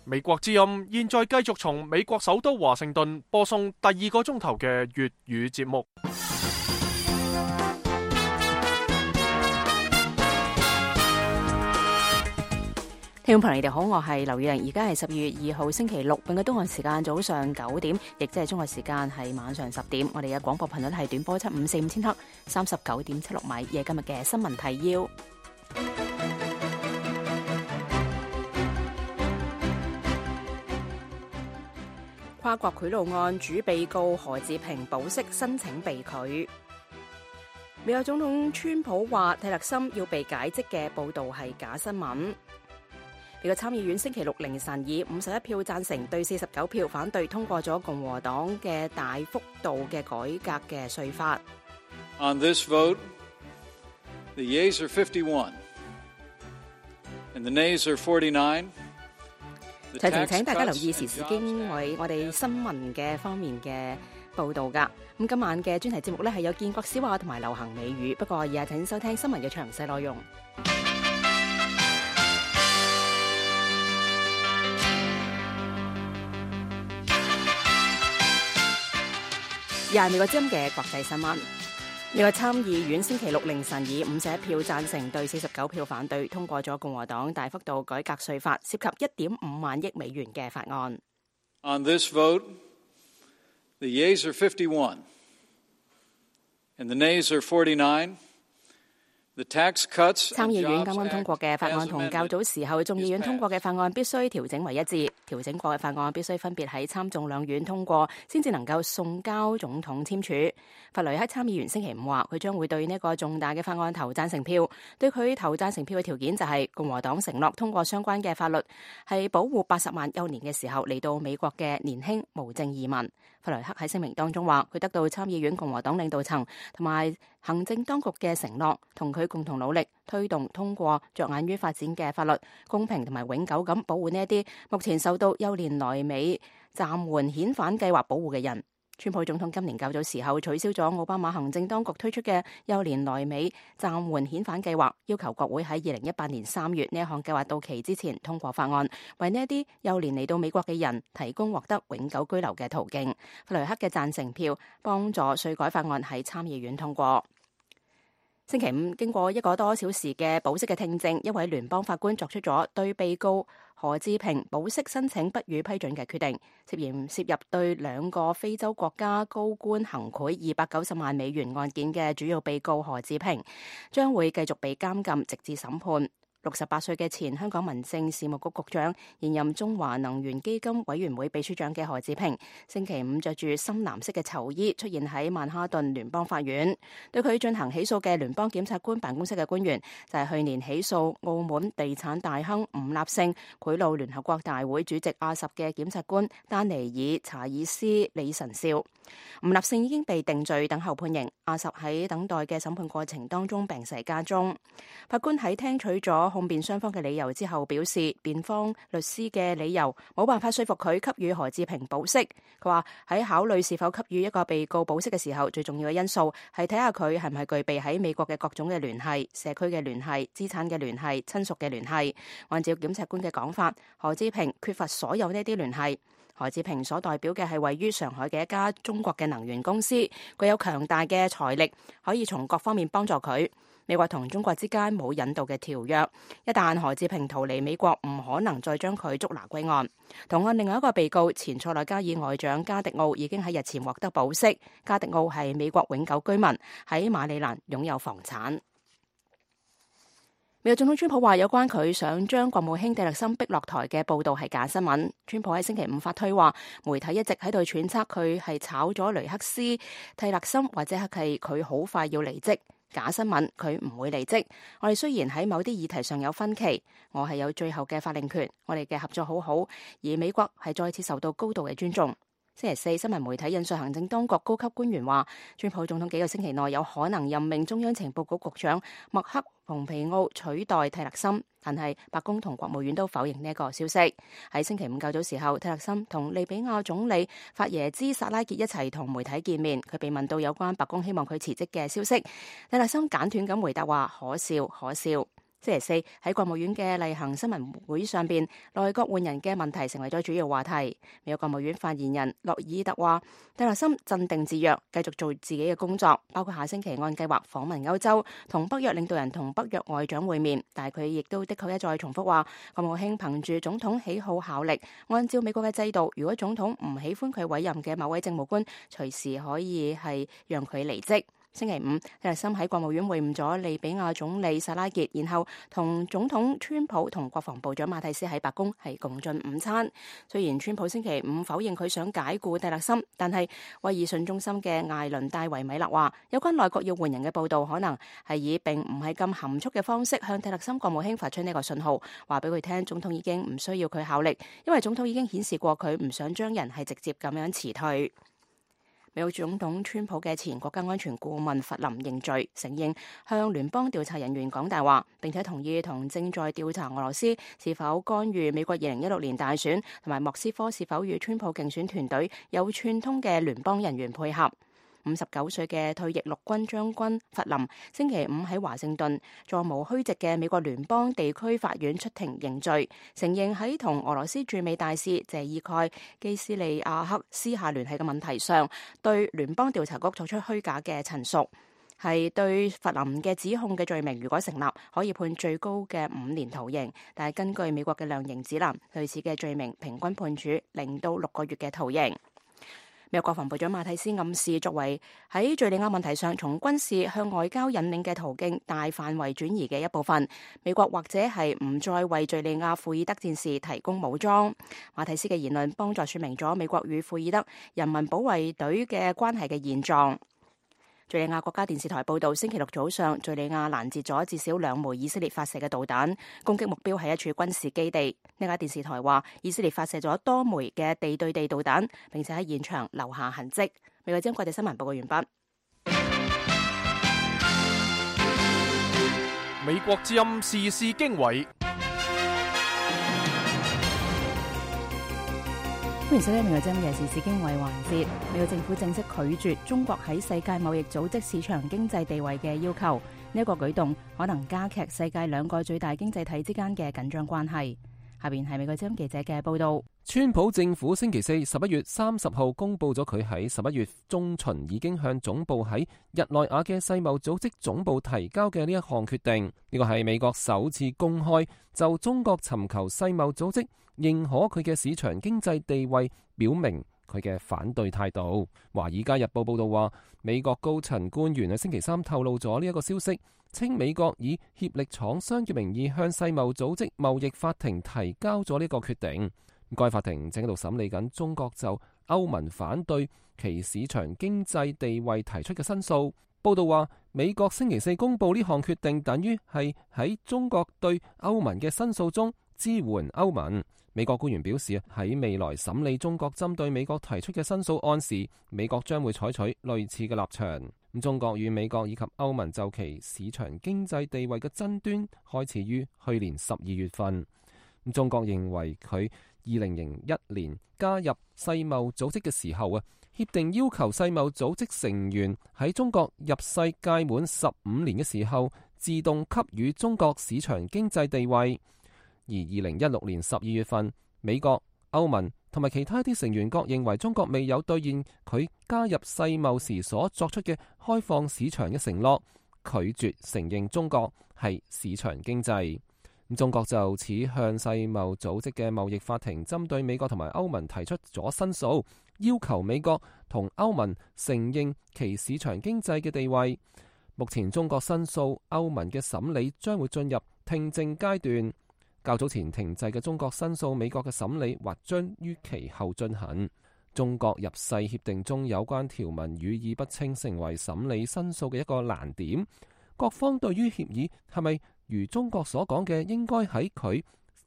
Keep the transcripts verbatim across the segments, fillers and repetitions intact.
美國之音現在繼續從美國首都華盛頓播送第二個鐘頭嘅粵語節目。聽眾朋友，你哋好，我係劉宇玲，而家係十二月二號星期六，本港東岸時間早上九點，亦即係中國時間係晚上十點。我哋嘅廣播頻率係短波七五四五千赫，三十九點七六米。夜今日嘅新聞提要：跨國賄賂案主被告何志平保釋申請被拒。美國總統川普話蒂勒森要被解職嘅報道係假新聞。美國參議院星期六凌晨以五十一票贊成對四十九票反對通過咗共和黨嘅大幅度嘅改革嘅稅法。On this vote, the yeas are fifty-one, and the nays are forty-nine. 提提請大家留意時事經緯我哋新聞嘅方面嘅報道噶。咁今晚嘅專題節目呢係有建國小話同埋流行美語，不過而家請收聽新聞嘅詳細內容。又係美國之音嘅國際新聞。美國參議院星期六凌晨以五十一票贊成對四十九票反對通過咗共和黨大幅度改革稅法，涉及一點五萬億美元嘅法案。On this vote, the yeas are fifty-one, and the nays are forty-nine. 參議院啱啱通過嘅法案同較早時候眾議院通過嘅法案必須調整為一致，調整過嘅法案必須分別喺參眾兩院通過，先至能夠送交總統簽署。弗雷克參議員星期五話，佢將會對呢個重大嘅法案投贊成票，對佢投贊成票嘅條件就係共和黨承諾通過相關嘅法律，係保護八十萬幼年嘅時候嚟到美國嘅年輕無證移民。弗雷克喺聲明當中話，佢得到參議院共和黨領導層同埋行政當局嘅承諾，同佢共同努力推動通過着眼於發展嘅法律，公平同埋永久咁保護呢一啲目前受到幼年來美暫緩遣返計劃保護嘅人。川普總統今年較早時候取消咗奧巴馬行政當局推出嘅幼年來美暫緩遣返計劃，要求國會喺二零一八年三月呢一項計劃到期之前通過法案，為呢一啲幼年嚟到美國嘅人提供獲得永久居留嘅途徑。弗雷克嘅贊成票幫助稅改法案喺參議院通過。星期五，經過一個多小時嘅保釋嘅聽證，一位聯邦法官作出咗對被告何志平保釋申請不予批准嘅決定，涉嫌涉入對兩個非洲國家高官行賄二百九十萬美元案件嘅主要被告何志平，將會繼續被監禁直至審判。六十八歲嘅前香港民政事務局局長、現任中華能源基金委員會秘書長嘅何志平，星期五着住深藍色嘅囚衣出現喺曼哈頓聯邦法院。對佢進行起訴嘅聯邦檢察官辦公室嘅官員就係去年起訴澳門地產大亨吳立勝賄賂聯合國大會主席阿什嘅檢察官丹尼爾查爾斯李臣少。吳立勝已經被定罪等候判刑，阿什喺等待嘅審判過程當中病逝家中。法官喺聽取咗控辯雙方嘅理由之後表示，辯方律師嘅理由冇辦法說服佢給予何志平保釋。佢話喺考慮是否給予一個被告保釋嘅時候，最重要嘅因素係睇下佢係唔係具備喺美國嘅各種嘅聯繫、社區嘅聯繫、資產嘅聯繫、親屬嘅聯繫。按照檢察官嘅講法，何志平缺乏所有呢啲聯繫。何志平所代表嘅係位於上海嘅一家中國嘅能源公司，具有強大嘅財力，可以從各方面幫助佢。美國同中國之間冇引渡嘅條約，一旦何志平逃離美國，唔可能再將佢捉拿歸案。同案另外一個被告前塞內加爾外長加迪奧已經喺日前獲得保釋。加迪奧係美國永久居民，喺馬里蘭擁有房產。美國總統川普話有關佢想將國務卿蒂勒森逼落台嘅報道係假新聞。川普喺星期五發推話，媒體一直喺度揣測佢係炒咗雷克斯蒂勒森，或者係佢好快要離職。假新聞，佢唔會離職。我哋雖然喺某啲議題上有分歧，我係有最後嘅法令權，我哋嘅合作好好，而美國係再次受到高度嘅尊重。星期四，新聞媒體引述行政當局高級官員話，川普總統幾個星期內有可能任命中央情報局局長麥克蓬皮奧取代蒂勒森，但係白宮同國務院都否認呢一個消息。喺星期五較早時候，蒂勒森同利比亞總理法耶茲薩拉傑一齊同媒體見面，佢被問到有關白宮希望佢辭職嘅消息，蒂勒森簡短咁回答話：可笑，可笑。星期四喺國務院嘅例行新聞會上邊，內閣換人嘅問題成為咗主要話題。美國國務院發言人洛爾特話，蒂勒森鎮定自若，繼續做自己嘅工作，包括下星期按計劃訪問歐洲，同北約領導人同北約外長會面。但係佢亦都的確一再重複話，國務卿憑住總統喜好效力，按照美國嘅制度，如果總統唔喜歡佢委任嘅某位政務官，隨時可以係讓佢離職。星期五，蒂勒森喺國務院會晤咗利比亞總理薩拉傑，然後同總統川普同國防部長馬蒂斯喺白宮係共進午餐。雖然川普星期五否認佢想解僱蒂勒森，但係威爾遜中心嘅艾倫戴維米勒話，有關內閣要換人嘅報導可能係以並唔係咁含蓄嘅方式向蒂勒森國務卿發出呢個信號，話俾佢聽總統已經唔需要佢效力，因為總統已經顯示過佢唔想將人係直接咁樣辭退。美國總統川普嘅前國家安全顧問弗林認罪，承認向聯邦調查人員講大話，並且同意同正在調查俄羅斯是否干預美國二零一六年大選同埋莫斯科是否與川普競選團隊有串通嘅聯邦人員配合。五十九歲嘅退役陸軍將軍弗林星期五喺華盛頓座無虛席嘅美國聯邦地區法院出庭認罪，承認喺同俄羅斯駐美大使謝爾蓋基斯利亞克私下聯繫嘅問題上，對聯邦調查局作出虛假嘅陳述，係對弗林嘅指控嘅罪名如果成立，可以判最高嘅五年徒刑，但係根據美國嘅量刑指南，類似嘅罪名平均判處零到六個月嘅徒刑。美國國防部長馬蒂斯暗示，作為喺敘利亞問題上從軍事向外交引領嘅途徑大範圍轉移嘅一部分，美國或者係唔再為敘利亞庫爾德戰士提供武裝。馬蒂斯嘅言論幫助說明咗美國與庫爾德人民保衛隊嘅關係嘅現狀。敘利亞國家電視台報道，星期六早上，敘利亞攔截咗至少兩枚以色列發射嘅導彈，攻擊目標係一處軍事基地。呢家電視台話，以色列發射咗多枚嘅地對地導彈，並且喺現場留下痕跡。美國之音國際新聞報告完畢。美國之音時事經緯。歡迎收聽美國之音嘅時事經緯環節。美國政府正式拒絕中國喺世界貿易組織市場經濟地位嘅要求，呢一個舉動可能加劇世界兩個最大經濟體之間嘅緊張關係。下邊係美國之音記者嘅報道。川普政府星期四十一月三十號公布咗佢喺十一月中旬已經向總部喺日內瓦嘅世貿組織總部提交嘅呢一項決定。呢個係美國首次公開就中國尋求世貿組織認可佢嘅市場經濟地位，表明佢嘅反對態度。華爾街日報報道話，美國高層官員喺星期三透露咗呢一個消息，稱美國以協力廠商嘅名義向世貿組織貿易法庭提交咗呢個決定。該法庭正喺度審理緊中國就歐盟反對其市場經濟地位提出嘅申訴。報道話，美國星期四公布呢項決定，等於係喺中國對歐盟嘅申訴中支援歐盟。美國官員表示，喺未來審理中國針對美國提出嘅申訴案時，美國將會採取類似嘅立場。中國與美國以及歐盟就其市場經濟地位嘅爭端開始於去年十二月份。中國認為佢二零零一年加入世貿組織嘅時候啊，協定要求世貿組織成員喺中國入世屆滿十五年嘅時候，自動給予中國市場經濟地位。而二零一六年十二月份，美國、歐盟同埋其他啲成員國認為中國未有兌現佢加入世貿時所作出嘅開放市場嘅承諾，拒絕承認中國係市場經濟。中國就此向世貿組織嘅貿易法庭針對美國同埋歐盟提出咗申訴，要求美國同歐盟承認其市場經濟嘅地位。目前中國申訴歐盟嘅審理將會進入聽證階段。較早前停滯嘅中國申訴美國嘅審理或將於其後進行。中國入世協定中有關條文語意不清，成為審理申訴嘅一個難點。各方對於協議係咪如中國所講嘅，應該喺佢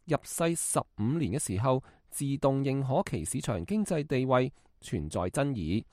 入世十五年嘅時候自動認可其市場經濟地位存在爭議。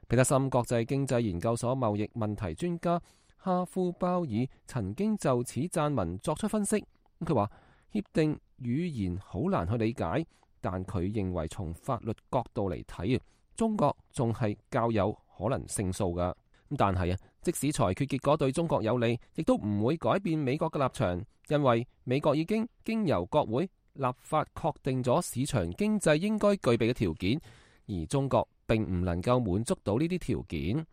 彼得森國際經濟研究所貿易問題專家哈夫鮑爾曾經就此撰文作出分析。佢話協定語言好難去理解，但佢認為從法律角度嚟睇，中國仲係較有可能勝訴㗎。但係啊，即使裁決結果對中國有利，亦都唔會改變美國嘅立場，因為美國已經經由國會立法確定咗市場經濟應該具備嘅條件，而中國並唔能夠滿足到呢啲條件。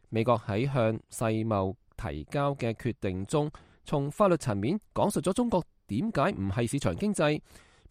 美國喺向世貿提交嘅決定中，從法律層面講述咗中國點解唔係市場經濟。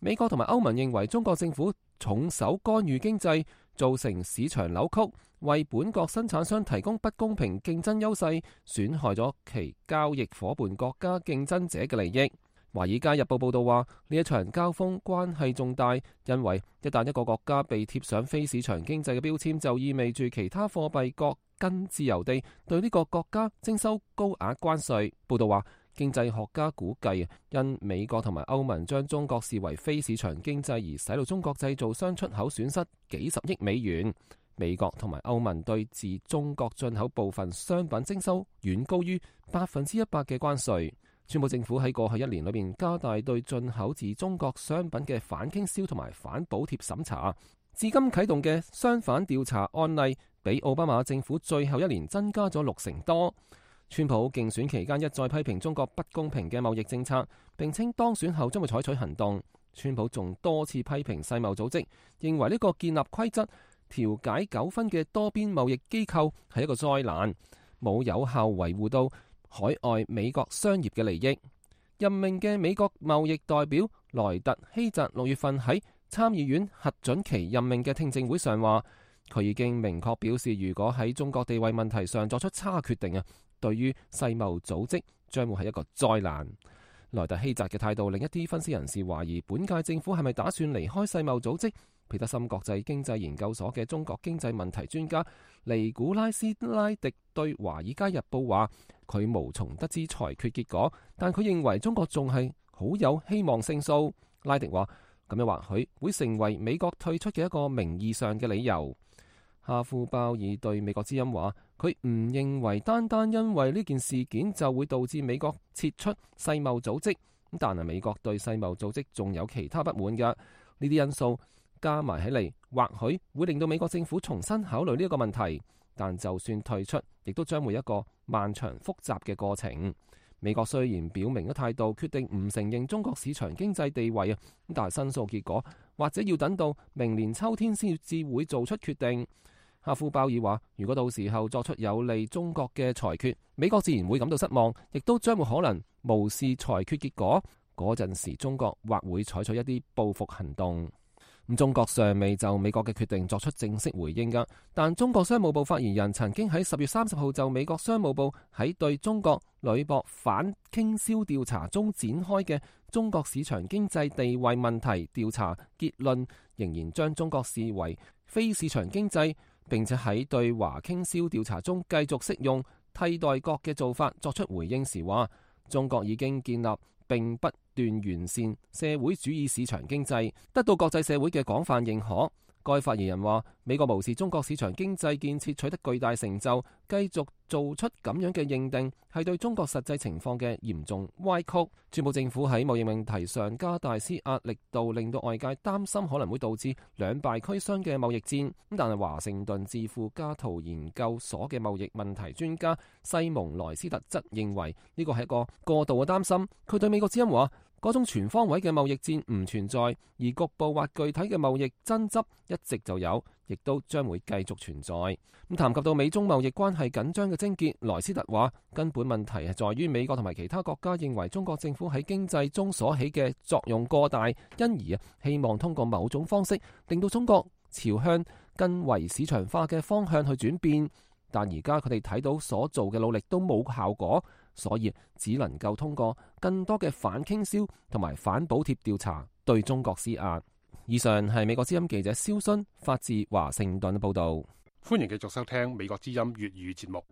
美國同埋歐盟認為中國政府重手干預經濟，造成市場扭曲，為本國生產商提供不公平競爭優勢，損害咗其交易夥伴國家競爭者嘅利益。華爾街日報報道話，呢一場交鋒關係重大，因為一旦一個國家被貼上非市場經濟嘅標籤，就意味住其他貨幣國更自由地對呢個國家徵收高額關稅。報道話，經濟學家估計，因美國同埋歐盟將中國視為非市場經濟而使到中國製造商出口損失幾十億美元。美國同埋歐盟對自中國進口部分商品徵收遠高於百分之一百嘅關稅。川普政府喺過去一年裏邊加大對進口自中國商品嘅反傾銷同埋反補貼審查，至今啟動嘅商販調查案例比奧巴馬政府最後一年增加咗六成多。川普競選期間一再批評中國不公平嘅貿易政策，並稱當選後將會採取行動。川普仲多次批評世貿組織，認為呢個建立規則、調解糾紛嘅多邊貿易機構係一個災難，冇有效維護到海外美國商業嘅利益。任命嘅美國貿易代表萊特希澤六月份喺參議院核准其任命嘅聽證會上話，佢已經明確表示，如果喺中國地位問題上作出差決定啊，對於世貿組織將會係一個災難。萊特希澤嘅態度令一啲分析人士懷疑，本屆政府係咪打算離開世貿組織？彼得森國際經濟研究所嘅中國經濟問題專家尼古拉斯拉迪對《華爾街日報》話，佢無從得知裁決結果，但佢認為中國仲係好有希望勝訴。拉迪話，咁樣或許會成為美國退出嘅一個名義上嘅理由。哈夫鮑爾對美國之音話，佢唔認為單單因為呢件事件就會導致美國撤出世貿組織，但係美國對世貿組織仲有其他不滿嘅，呢啲因素加埋起嚟，或許會令到美國政府重新考慮呢一個問題。但就算退出，亦都將會一個漫長複雜嘅過程。美國雖然表明咗態度，決定唔承認中國市場經濟地位啊，但係申訴結果或者要等到明年秋天先至會做出決定。哈夫鮑爾話，如果到時候作出有利中國嘅裁決，美國自然會感到失望，亦都將會可能無視裁決結果。嗰陣時，中國或會採取一啲報復行動。咁中國尚未就美國嘅決定作出正式回應㗎，但中國商務部發言人曾經喺十月三十號就美國商務部喺對中國鋁箔反傾銷調查中展開嘅中國市場經濟地位問題調查結論，仍然將中國視為非市場經濟，並且喺對華傾銷調查中繼續適用替代國嘅做法作出回應時話，中國已經建立並不斷完善社會主義市場經濟，得到國際社會嘅廣泛認可。該發言人話，美國無視中國市場經濟建設取得巨大成就，繼續做出咁樣嘅認定，係對中國實際情況嘅嚴重歪曲。川普政府喺貿易問題上加大施壓力度，令到外界擔心可能會導致兩敗俱傷嘅貿易戰。但係華盛頓智庫加圖研究所嘅貿易問題專家西蒙萊斯特則認為呢個係一個過度嘅擔心。佢對美國之音話，嗰種全方位嘅貿易戰唔存在，而局部或具體嘅貿易爭執一直就有，亦都將會繼續存在。咁談及到美中貿易關係緊張嘅症結，萊斯特話根本問題係在於美國同埋其他國家認為中國政府喺經濟中所起嘅作用過大，因而啊希望通過某種方式令到中國朝向更為市場化嘅方向去轉變。但而家佢哋睇到所做嘅努力都冇效果，所以只能夠通過更多嘅反傾銷同埋反補貼調查對中國施壓。以上係美國之音記者蕭勳發自華盛頓嘅報道。歡迎繼續收聽美國之音粵語節目。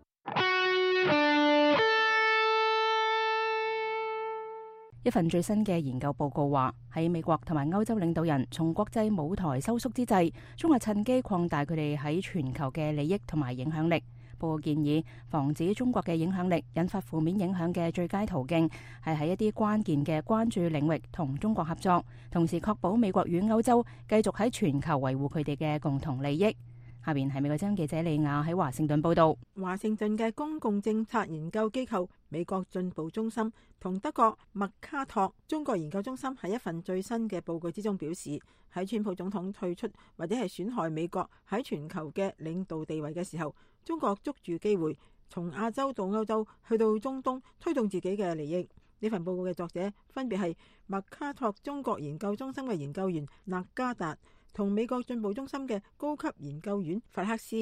一份最新嘅研究報告話，喺美國同埋歐洲領導人從國際舞台收縮之際，中國趁機擴大佢哋喺全球嘅利益同埋影響力。報告建議，防止中國嘅影響力引發負面影響嘅最佳途徑係喺一啲關鍵嘅關注領域同中國合作，同時確保美國與歐洲繼續喺全球維護佢哋嘅共同利益。下邊係美國之音記者李亞喺華盛頓報道。華盛頓嘅公共政策研究機構美國進步中心同德國麥卡托中國研究中心喺一份最新嘅報告之中表示，喺川普總統退出或者係損害美國喺全球嘅領導地位嘅時候，中國捉住機會從亞洲到歐洲去到中東推動自己嘅利益。呢份報告嘅作者分別係麥卡托中國研究中心嘅研究員納加達同美國進步中心嘅高級研究員弗克斯。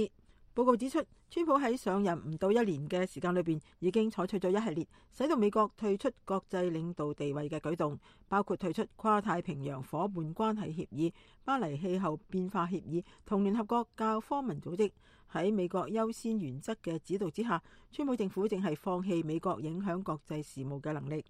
報告指出，川普喺上任唔到一年嘅時間裏邊，已經採取咗一系列使到美國退出國際領導地位嘅舉動，包括退出跨太平洋夥伴關係協議、巴黎氣候變化協議同聯合國教科文組織。喺美國優先原則嘅指導之下，川普政府正係放棄美國影響國際事務嘅能力。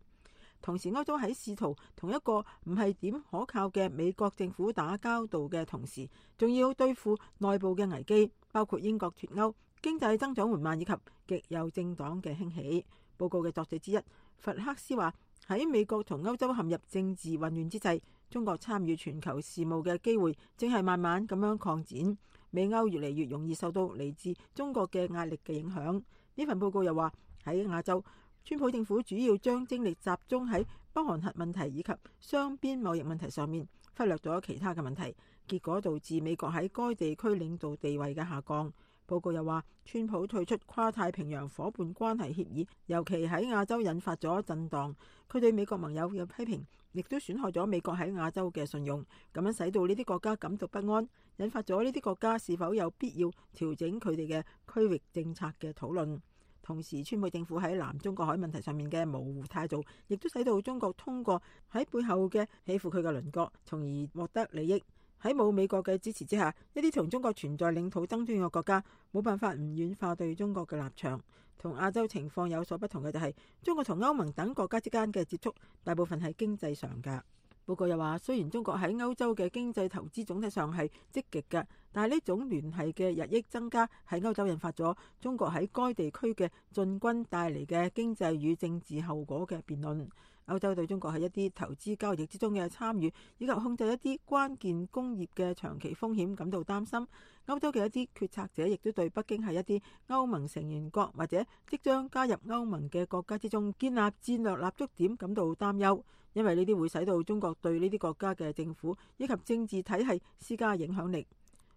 同時，歐洲喺試圖同一個唔係點可靠嘅美國政府打交道嘅同時，仲要對付內部嘅危機，包括英國脫歐、經濟增長緩慢以及極右政黨嘅興起。報告嘅作者之一弗克斯話：喺美國同歐洲陷入政治混亂之際，中國參與全球事務嘅機會正係慢慢咁樣擴展。美歐越嚟越容易受到嚟自中國嘅壓力嘅影響。呢份報告又話喺亞洲，川普政府主要將精力集中喺北韓核問題以及雙邊貿易問題上面，忽略咗其他嘅問題，結果導致美國喺該地區領導地位嘅下降。報告又話，川普退出跨太平洋夥伴關係協議，尤其喺亞洲引發咗震盪。佢對美國盟友嘅批評，亦都損害咗美國喺亞洲嘅信用，咁樣使到呢啲國家感到不安，引發咗呢啲國家是否有必要調整佢哋嘅區域政策嘅討論。同時，川普政府喺南中國海問題上面嘅模糊態度，亦都使到中國通過喺背後嘅欺負佢嘅鄰國，從而獲得利益。喺冇美國嘅支持之下，一啲同中國存在領土爭端嘅國家冇辦法唔軟化對中國嘅立場。同亞洲情況有所不同嘅就係，中國同歐盟等國家之間嘅接觸大部分係經濟上㗎。報告又話，雖然中國喺歐洲嘅經濟投資總體上係積極嘅，但係呢種聯繫嘅日益增加喺歐洲引發咗中國喺該地區嘅進軍帶嚟嘅經濟與政治後果嘅辯論。歐洲對中國喺一啲投資交易之中嘅參與，以及控制一啲關鍵工業嘅長期風險感到擔心。歐洲嘅一啲決策者亦都對北京喺一啲歐盟成員國或者即將加入歐盟嘅國家之中建立戰略立足點感到擔憂，因為呢啲會使到中國對呢啲國家嘅政府以及政治體系施加影響力。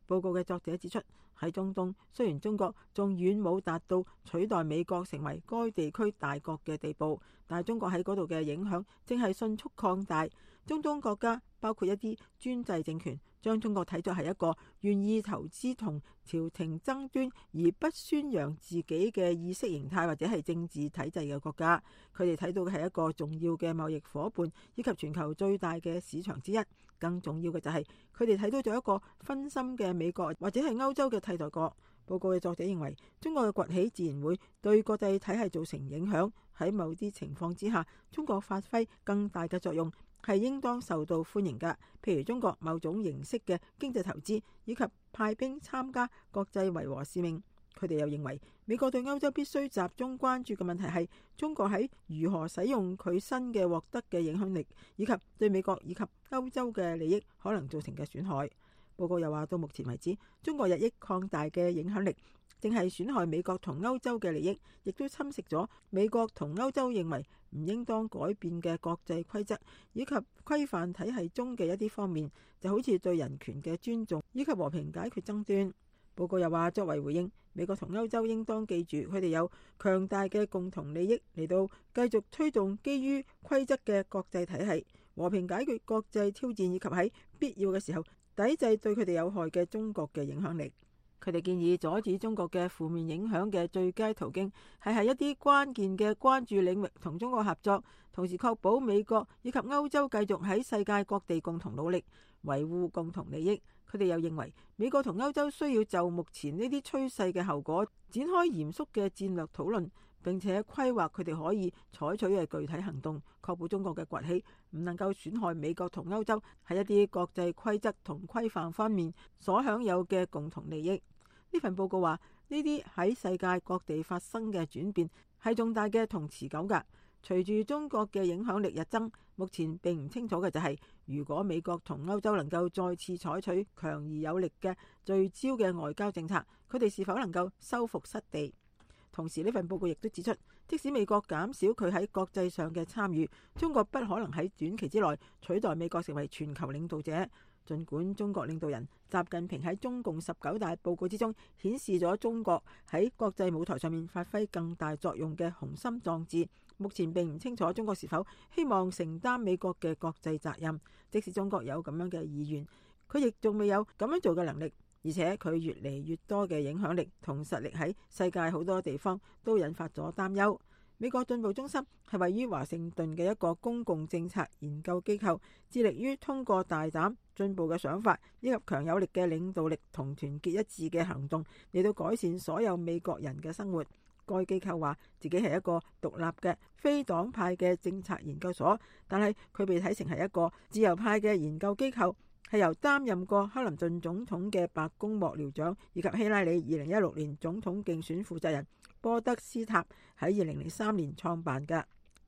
報告嘅作者指出，喺中東，雖然中國仲遠冇達到取代美國成為該地區大國嘅地步，但係中國喺嗰度嘅影響正係迅速擴大。中東國家包括一啲專制政權，將中國睇作係一個願意投資同朝廷爭端而不宣揚自己嘅意識形態或者係政治體制嘅國家。佢哋睇到嘅係一個重要嘅貿易夥伴，以及全球最大嘅市場之一。更重要嘅就係佢哋睇到咗一個分心嘅美國或者係歐洲嘅替代國。報告嘅作者認為，中國嘅崛起自然會對國際體系造成影響。喺某啲情況之下，中國發揮更大嘅作用係應當受到歡迎㗎。譬如中國某種形式嘅經濟投資，以及派兵參加國際維和使命。佢哋又認為，美國對歐洲必須集中關注嘅問題係中國喺如何使用佢新嘅獲得嘅影響力，以及對美國以及歐洲嘅利益可能造成嘅損害。報告又話，到目前為止，中國日益擴大嘅影響力正係損害美國同歐洲嘅利益，亦都侵蝕咗美國同歐洲認為唔應當改變嘅國際規則以及規範體系中嘅一啲方面，就好似對人權嘅尊重以及和平解決爭端。報告又話，作為回應，美國同歐洲應當記住，佢哋有強大嘅共同利益嚟到繼續推動基於規則嘅國際體系，和平解決國際挑戰，以及喺必要嘅時候抵制對佢哋有害嘅中國嘅影響力。佢哋建議阻止中國嘅負面影響嘅最佳途徑係喺一啲關鍵嘅關注領域同中國合作，同時確保美國以及歐洲繼續喺世界各地共同努力維護共同利益。佢哋又認為，美國同歐洲需要就目前呢啲趨勢嘅後果展開嚴肅嘅戰略討論，並且規劃佢哋可以採取嘅具體行動，確保中國嘅崛起唔能夠損害美國同歐洲喺一啲國際規則同規範方面所享有嘅共同利益。呢份報告話，呢啲喺世界各地發生嘅轉變係重大嘅同持久㗎。隨住中國嘅影響力日增，目前並唔清楚嘅就係，如果美國同歐洲能夠再次採取強而有力嘅聚焦嘅外交政策，佢哋是否能夠收復失地？同時呢份報告亦都指出，即使美國減少佢喺國際上嘅參與，中國不可能喺短期之內取代美國成為全球領導者。儘管中國領導人習近平喺中共十九大報告之中顯示咗中國喺國際舞台上面發揮更大作用嘅雄心壯志，目前並唔清楚中國是否希望承擔美國嘅國際責任。即使中國有咁樣嘅意願，佢亦仲未有咁樣做嘅能力，而且佢越嚟越多嘅影響力同實力喺世界好多地方都引發咗擔憂。美國進步中心係位於華盛頓嘅一個公共政策研究機構，致力於通過大膽進步嘅想法以及強有力嘅領導力同團結一致嘅行動嚟到改善所有美國人嘅生活。該機構話自己係一個獨立嘅非黨派嘅政策研究所，但係佢被睇成係一個自由派嘅研究機構，係由擔任過克林頓總統嘅白宮幕僚長以及希拉里二零一六年總統競選負責人波德斯塔喺二零零三年創辦嘅。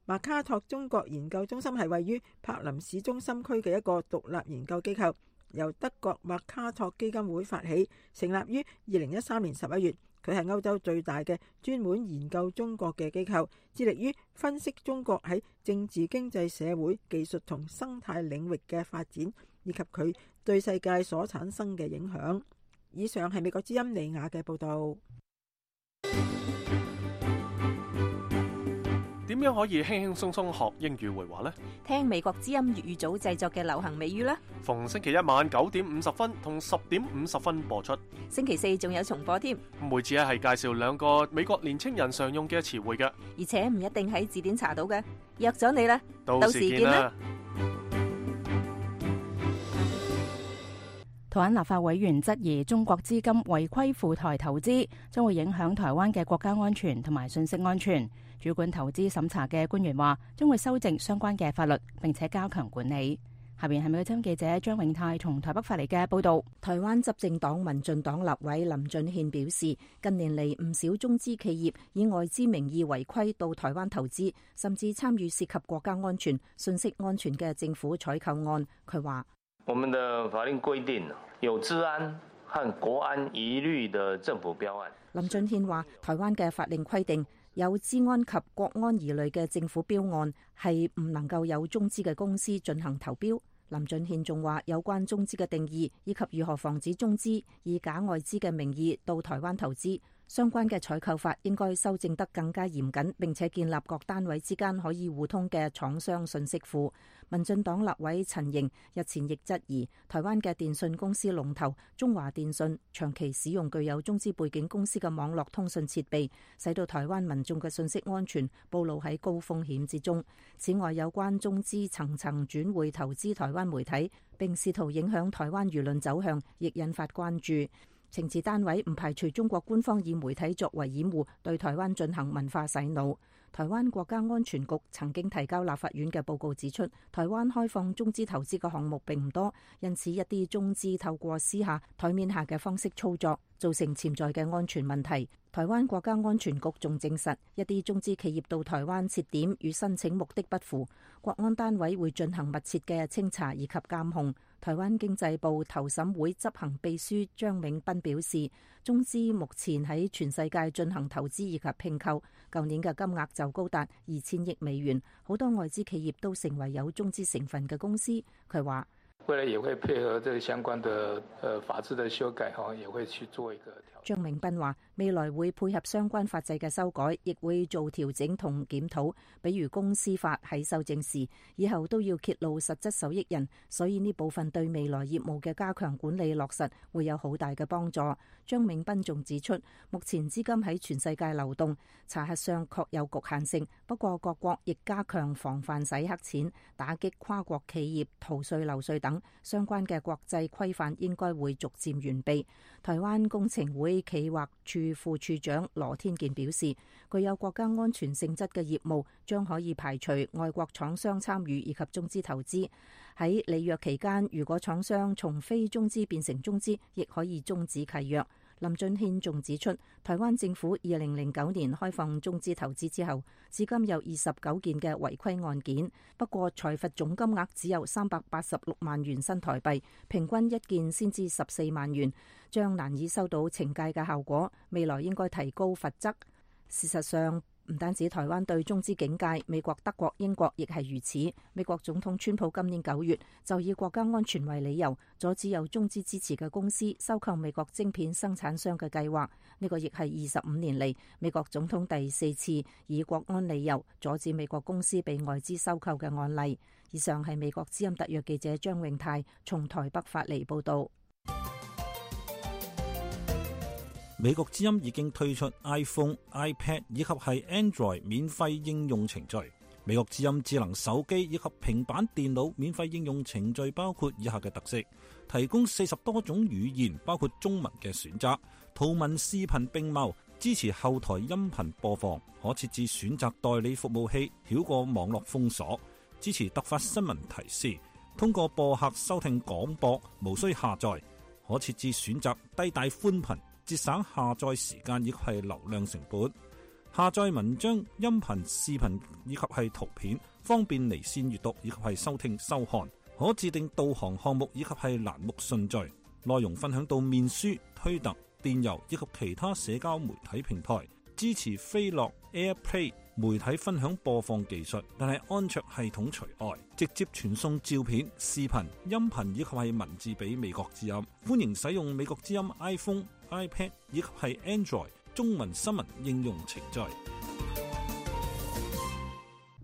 馬卡托中國研究中心係位於柏林市中心區嘅一個獨立研究機構，由德國馬卡托基金會發起，成立於二零一三年十一月。佢係歐洲最大嘅專門研究中國嘅機構，致力於分析中國喺政治、經濟、社會、技術同生態領域嘅發展，以及佢對世界所產生嘅影響。以上係美國之音李雅嘅報導。點樣可以輕輕鬆鬆學英語會話呢？聽美國之音粵語組製作嘅流行美語啦。逢星期一晚九點五十分同十點五十分播出。星期四仲有重播添。每次咧係介紹兩個美國年青人常用嘅詞彙嘅，而且唔一定喺字典查到嘅。約咗你啦，到時見啦。台灣立法委員質疑中國資金違規赴台投資，將會影響台灣嘅國家安全同埋信息安全。主管投資審查嘅官員話，將會修正相關嘅法律，並且加強管理。下邊係美國之音記者張永泰從台北發嚟嘅報道。台灣執政黨民進黨立委林俊憲表示，近年嚟唔少中資企業以外資名義違規到台灣投資，甚至參與涉及國家安全、信息安全嘅政府採購案。佢話：我們的法令規定有治安和國安疑慮的政府標案。林俊憲話，台灣嘅法令規定，有資安及國安疑慮嘅政府標案係唔能夠有中資嘅公司進行投標。林俊憲仲話，有關中資嘅定義以及如何防止中資以假外資嘅名義到台灣投資，相關嘅採購法應該修正得更加嚴謹，並且建立各單位之間可以互通嘅廠商信息庫。民進黨立委陳瑩日前亦質疑，台灣嘅電信公司龍頭中華電信長期使用具有中資背景公司嘅網絡通訊設備，使到台灣民眾嘅信息安全暴露喺高風險之中。此外，有關中資層層轉會投資台灣媒體，並試圖影響台灣輿論走向，亦引發關注。情治單位唔排除中國官方以媒體作為掩護，對台灣進行文化洗腦。台灣國家安全局曾經提交立法院嘅報告指出，台灣開放中資投資嘅項目並唔多，因此一啲中資透過私下台面下嘅方式操作，造成潛在嘅安全問題。台灣國家安全局仲證實，一啲中資企業到台灣設點與申請目的不符，國安單位會進行密切嘅清查以及監控。台灣經濟部投審會執行秘書張永斌表示，中資目前喺全世界進行投資以及併購，舊年嘅金額就高達二千億美元，好多外資企業都成為有中資成分嘅公司。佢話：未來也會配合這個相關的呃法制的修改，哈，也會去做一個調整。張明斌話：未來會配合相關法制嘅修改，亦會做調整同檢討。比如公司法喺修正時，以後都要揭露實質受益人，所以呢部分對未來業務嘅加強管理落實會有好大嘅幫助。張明斌仲指出，目前資金喺全世界流動，查核上確有局限性，不過各國亦加強防範洗黑錢、打擊跨國企業逃稅漏稅等相關嘅國際規範，應該會逐漸完備。台灣工程會企劃處副處長羅天健表示，具有國家安全性質嘅業務將可以排除外國廠商參與以及中資投資。喺履約期間，如果廠商從非中資變成中資，亦可以終止契約。林俊憲仲指出，台灣政府二零零九年開放中資投資之後，至今有二十九件嘅違規案件，不過裁罰總金額只有三百八十六萬元新台幣，平均一件先至十四萬元，將難以收到懲戒嘅效果。未來應該提高罰則。事實上，唔單止台灣對中資警戒，美國、德國、英國亦係如此。美國總統川普今年九月就以國家安全為理由，阻止有中資支持嘅公司收購美國晶片生產商嘅計劃。呢個亦係二十五年嚟美國總統第四次以國安理由阻止美國公司被外資收購嘅案例。以上係美國之音特約記者張永泰從台北發嚟報道。美國之音已經推出 iPhone、iPad 以及係 Android 免費應用程序。美國之音智能手機以及平板電腦免費應用程序包括以下嘅特色：提供四十多種語言，包括中文嘅選擇，圖文視頻並茂，支持後台音頻播放，可設置選擇代理服務器，繞過網絡封鎖，支持突發新聞提示，通過播客收聽廣播，無需下載，可設置選擇低帶寬頻，節省下載時間以及係流量成本，下載文章、音頻、視頻以及係圖片，方便離線閱讀以及係收聽收看，可自定導航項目以及係欄目順序，內容分享到面書、推特、電郵以及其他社交媒體平台，支持飛樂 AirPlay 媒體分享播放技術，但係安卓系統除外，直接傳送照片、視頻、音頻以及係文字俾美國之音。歡迎使用美國之音 iPhone、iPad 以及係 Android 中文新聞應用程序。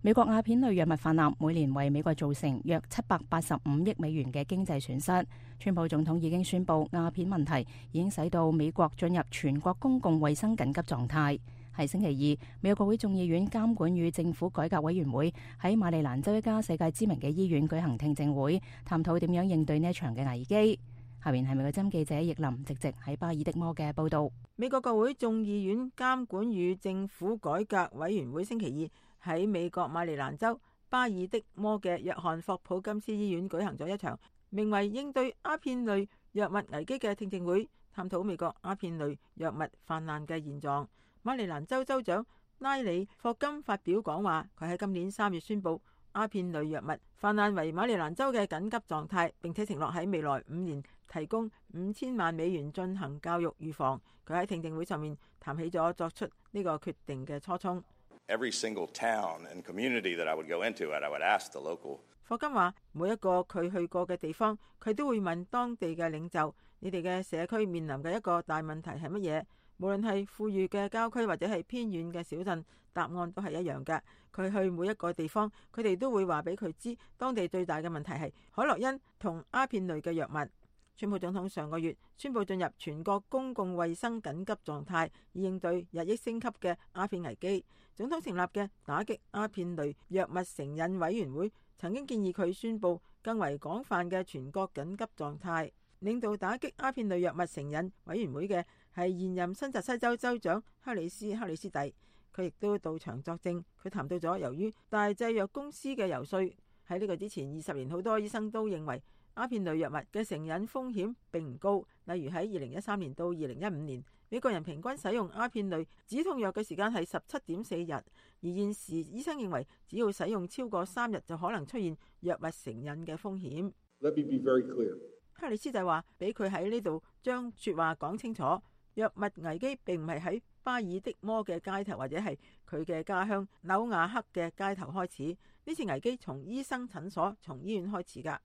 美國鴉片類藥物氾濫每年為美國造成約七百八十五億美元嘅經濟損失。川普總統已經宣布鴉片問題已經使到美國進入全國公共衛生緊急狀態。係星期二，美國國會眾議院監管與政府改革委員會喺馬里蘭州一家世界知名嘅醫院舉行聽證會，探討點樣應對呢一場嘅危機。下面係美國之音記者易林直直喺巴爾的摩嘅報道。美國國會眾議院監管與政府改革委員會星期二喺美國馬里蘭州巴爾的摩嘅約翰霍普金斯醫院舉行咗一場名為應對鴉片類藥物危機嘅聽證會，探討美國鴉片類藥物氾濫嘅現狀。馬里蘭州州長拉里霍金發表講話，佢喺今年三月宣布鴉片類藥物氾濫為馬里蘭州嘅緊急狀態，並且承諾喺未來五年提供五千萬美元進行教育預防。佢喺聽證會上面談起咗作出呢個決定嘅初衷。Every single town and community that I would go into, I would ask the local. 霍金話：每一個佢去過嘅地方，佢都會問當地嘅領袖：你哋嘅社區面臨嘅一個大問題係乜嘢？無論係富裕嘅郊區或者係偏遠嘅小鎮，答案都係一樣嘅。佢去每一個地方，佢哋都會話俾佢知，當地最大嘅問題係海洛因同鴉片類嘅藥物。川普總統上個月宣布進入全國公共衛生緊急狀態，以應對日益升級嘅鴉片危機。總統成立嘅打擊鴉片類藥物成癮委員會曾經建議佢宣布更為廣泛嘅全國緊急狀態。領導打擊鴉片類藥物成癮委員會嘅係現任新澤西州州長克里斯克里斯蒂，佢亦都到場作證。佢談到咗由於大製藥公司嘅游說，喺呢個之前二十年好多醫生都認為鴉片類藥物嘅成癮風險並唔高。例如喺二零一三年到二零一五年，美國人平均使用鴉片類止痛藥嘅時間係十七點四日，而現時醫生認為只要使用超過三日就可能出現藥物成癮嘅風險。Let me be very clear. 克里斯就話俾佢喺呢度將說話講清楚，藥物危機並唔係喺巴爾的摩嘅街頭或者係佢嘅家鄉紐瓦克嘅街頭開始，呢次危機從醫生診所、從醫院開始噶。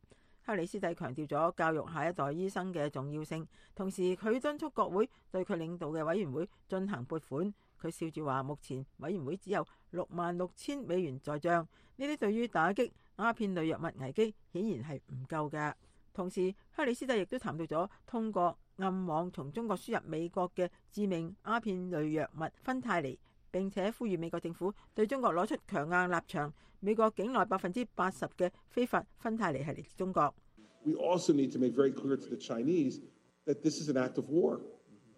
克里斯蒂強調咗教育下一代醫生嘅重要性，同時佢敦促國會對佢領導嘅委員會進行撥款。佢笑住話，目前委員會只有六萬六千美元在賬，呢啲對於打擊鴉片類藥物危機顯然係唔夠嘅。同時，克里斯蒂亦都談到咗通過暗網從中國輸入美國嘅致命鴉片類藥物芬太尼，並且呼籲美國政府對中國攞出強硬立場。美國境內百分之八十嘅非法芬太尼係嚟自中國。We also need to make very clear to the Chinese that this is an act of war.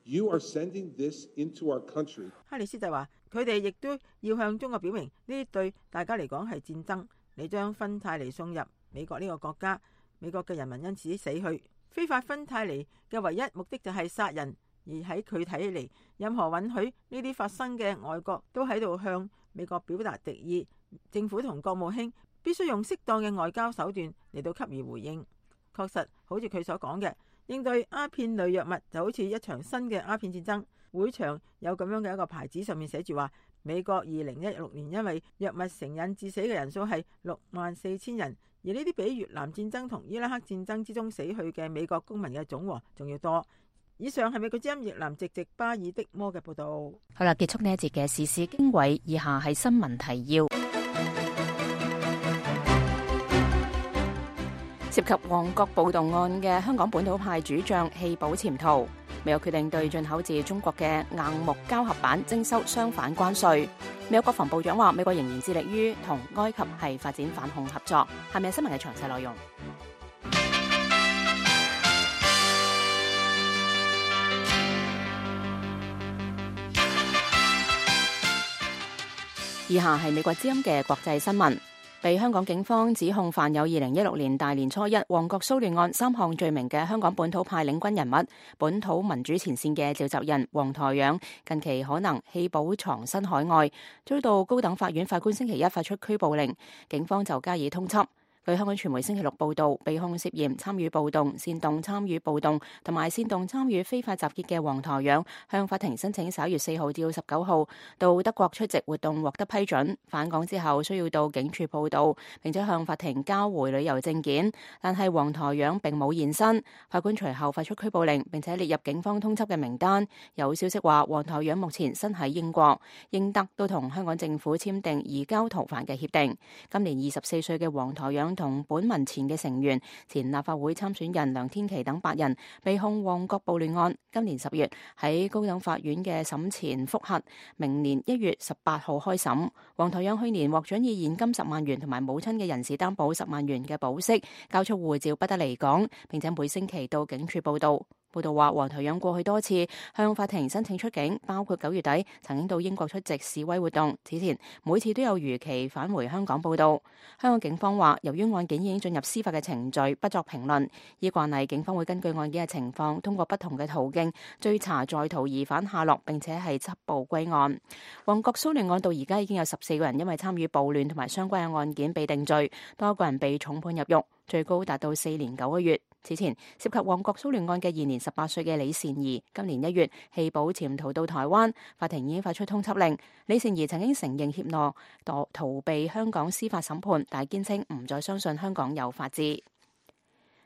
You are sending this into our country. 克里斯蒂話：佢哋亦都要向中國表明，呢啲對大家嚟講係戰爭。你將芬太尼送入美國呢個國家，美國嘅人民因此死去。非法芬太尼嘅唯一目的就係殺人，而而喺佢睇起嚟，任何允許呢啲發生嘅外國都喺度向美國表達敵意，政府同國務卿必須用適當嘅外交手段嚟到給予回應。確實，好似佢所講嘅，應對鴉片類藥物就好似一場新嘅鴉片戰爭。會場有咁樣嘅一個牌子，上面寫住話，美國二零一六年因為藥物成癮致死嘅人數係六萬四千人，而呢啲比越南戰爭同伊拉克戰爭之中死去嘅美國公民嘅總和仲要多。以上係美國之音越南籍籍巴爾的摩嘅報道。好啦，結束呢一節嘅時事經緯，以下係新聞提要。涉及旺角暴動案嘅香港本土派主將棄保潛逃，美國決定對進口自中國嘅硬木膠合板徵收相反關稅。美國國防部長話，美國仍然致力於同埃及係發展反恐合作。下面係新聞嘅詳細內容。以下係美國之音嘅國際新聞。被香港警方指控犯有二零一六年大年初一旺角騷亂案三項罪名嘅香港本土派領軍人物、本土民主前線嘅召集人黃台仰，近期可能棄保藏身海外，遭到高等法院法官星期一發出拘捕令，警方就加以通緝。據香港傳媒星期六報道，被控涉嫌參與暴動、煽動參與暴動同埋煽動參與非法集結嘅黃台仰，向法庭申請十一月四號至到十九號到德國出席活動獲得批准，返港之後需要到警署報到，並且向法庭交回旅遊證件。但係黃台仰並冇現身，法官隨後發出拘捕令，並且列入警方通緝嘅名單。有消息話，黃台仰目前身喺英國，英德都同香港政府簽訂移交逃犯嘅協定。今年二十四歲嘅黃台仰同本民前嘅成員、前立法會參選人梁天琦等八人被控旺角暴亂案，今年十月喺高等法院嘅審前覆核，明年一月十八號開審。黃台仰去年獲准以現金十萬元同埋母親嘅人事擔保十萬元嘅保釋，交出護照不得離港，並且每星期到警署報到。報道話，黃台仰過去多次向法庭申請出境，包括九月底曾經到英國出席示威活動，此前每次都有如期返回香港報到。香港警方話，由於案件已經進入司法嘅程序，不作評論。依慣例，警方會根據案件嘅情況，通過不同嘅途徑追查在逃疑犯下落，並且係緝捕歸案。旺角騷亂案到而家已經有十四個人因為參與暴亂同埋相關嘅案件被定罪，多個人被重判入獄，最高達到四年九個月。此前涉及旺角騷亂案嘅現年十八歲嘅李善儀，今年一月棄保潛逃到台灣，法庭已經發出通緝令。李善儀曾經承認怯懦躲逃避香港司法審判，但係堅稱唔再相信香港有法治。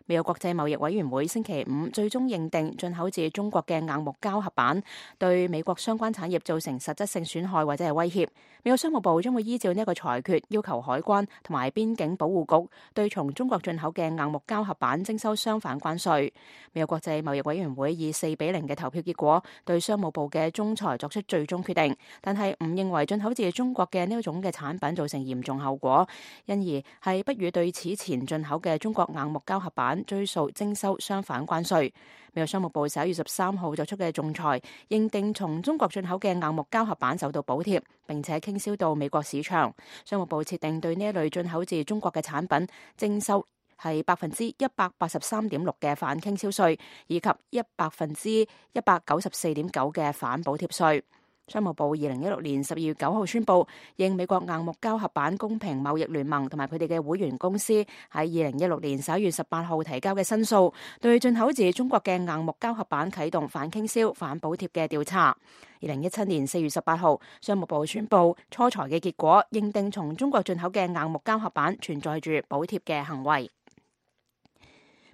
美國國際貿易委員會星期五最終認定進口自中國嘅硬木膠合板對美國相關產業造成實質性損害或者係威脅。美國商務部將會依照呢一個裁決，要求海關同埋邊境保護局對從中國進口嘅硬木膠合板徵收相反關稅。美國國際貿易委員會以四比零嘅投票結果對商務部嘅仲裁作出最終決定，但係唔認為進口自中國嘅呢一種嘅產品造成嚴重後果，因而係不予對此前進口嘅中國硬木膠合板追溯徵收相反關稅。美國商務部十一月十三號作出嘅仲裁，認定從中國進口嘅硬木膠合板受到補貼，並且傾銷到美國市場。商務部設定對呢一類進口自中國嘅產品徵收係百分之一百八十三點六嘅反傾銷稅，以及一百分之一百九十四點九嘅反補貼稅。商務部二零一六年十二月九號宣布，應美國硬木膠合板公平貿易聯盟同埋佢哋嘅會員公司喺二零一六年十一月十八號提交嘅申訴，對進口自中國嘅硬木膠合板啟動反傾銷、反補貼嘅調查。二零一七年四月十八號，商務部宣布初裁嘅結果，認定從中國進口嘅硬木膠合板存在住補貼嘅行為。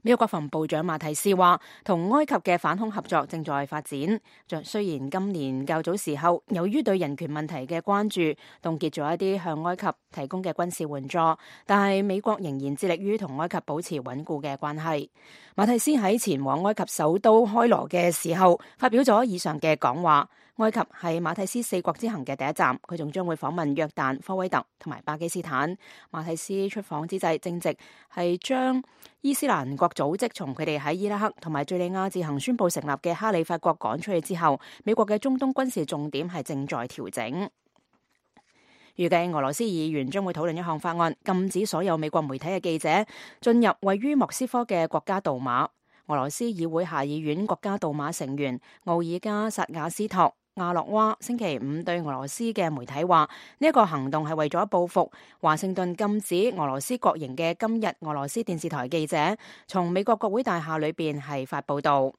美國國防部長馬提斯話，同埃及嘅反恐合作正在發展。雖然今年較早時候，由於對人權問題嘅關注，凍結咗一啲向埃及提供嘅軍事援助，但係美國仍然致力於同埃及保持穩固嘅關係。馬提斯喺前往埃及首都開羅嘅時候，發表咗以上嘅講話。埃及係馬提斯四國之行嘅第一站，佢仲將會訪問約旦、科威特同埋巴基斯坦。馬提斯出訪之際，正值係將伊斯蘭國組織從佢哋喺伊拉克同埋敘利亞自行宣布成立嘅哈里發國趕出去之後，美國嘅中東軍事重點係正在調整。預計俄羅斯議員將會討論一項法案，禁止所有美國媒體嘅記者進入位於莫斯科嘅國家杜馬。俄羅斯議會下議院國家杜馬成員奧爾加薩瓦斯托亞洛娃星期五對俄羅斯嘅媒體話，呢一個行動係為咗報復華盛頓禁止俄羅斯國營嘅今日俄羅斯電視台記者從美國國會大廈裏邊係發報道。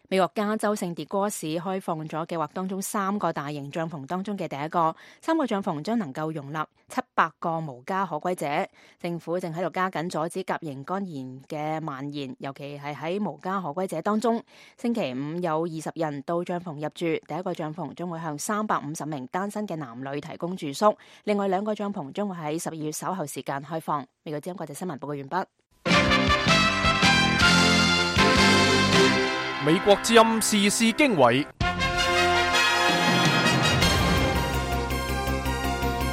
美國加州聖迭戈市開放咗計劃當中三個大型帳篷當中嘅第一個，三個帳篷將能夠容納七百個無家可歸者。政府正喺度加緊阻止甲型肝炎嘅蔓延，尤其係喺無家可歸者當中。星期五有二十人到帳篷入住，第一個帳篷將會向三百五十名單身嘅男女提供住宿，另外兩個帳篷將會喺十二月稍後時間開放。美國之音國際新聞報告完畢。美國之音時事經緯，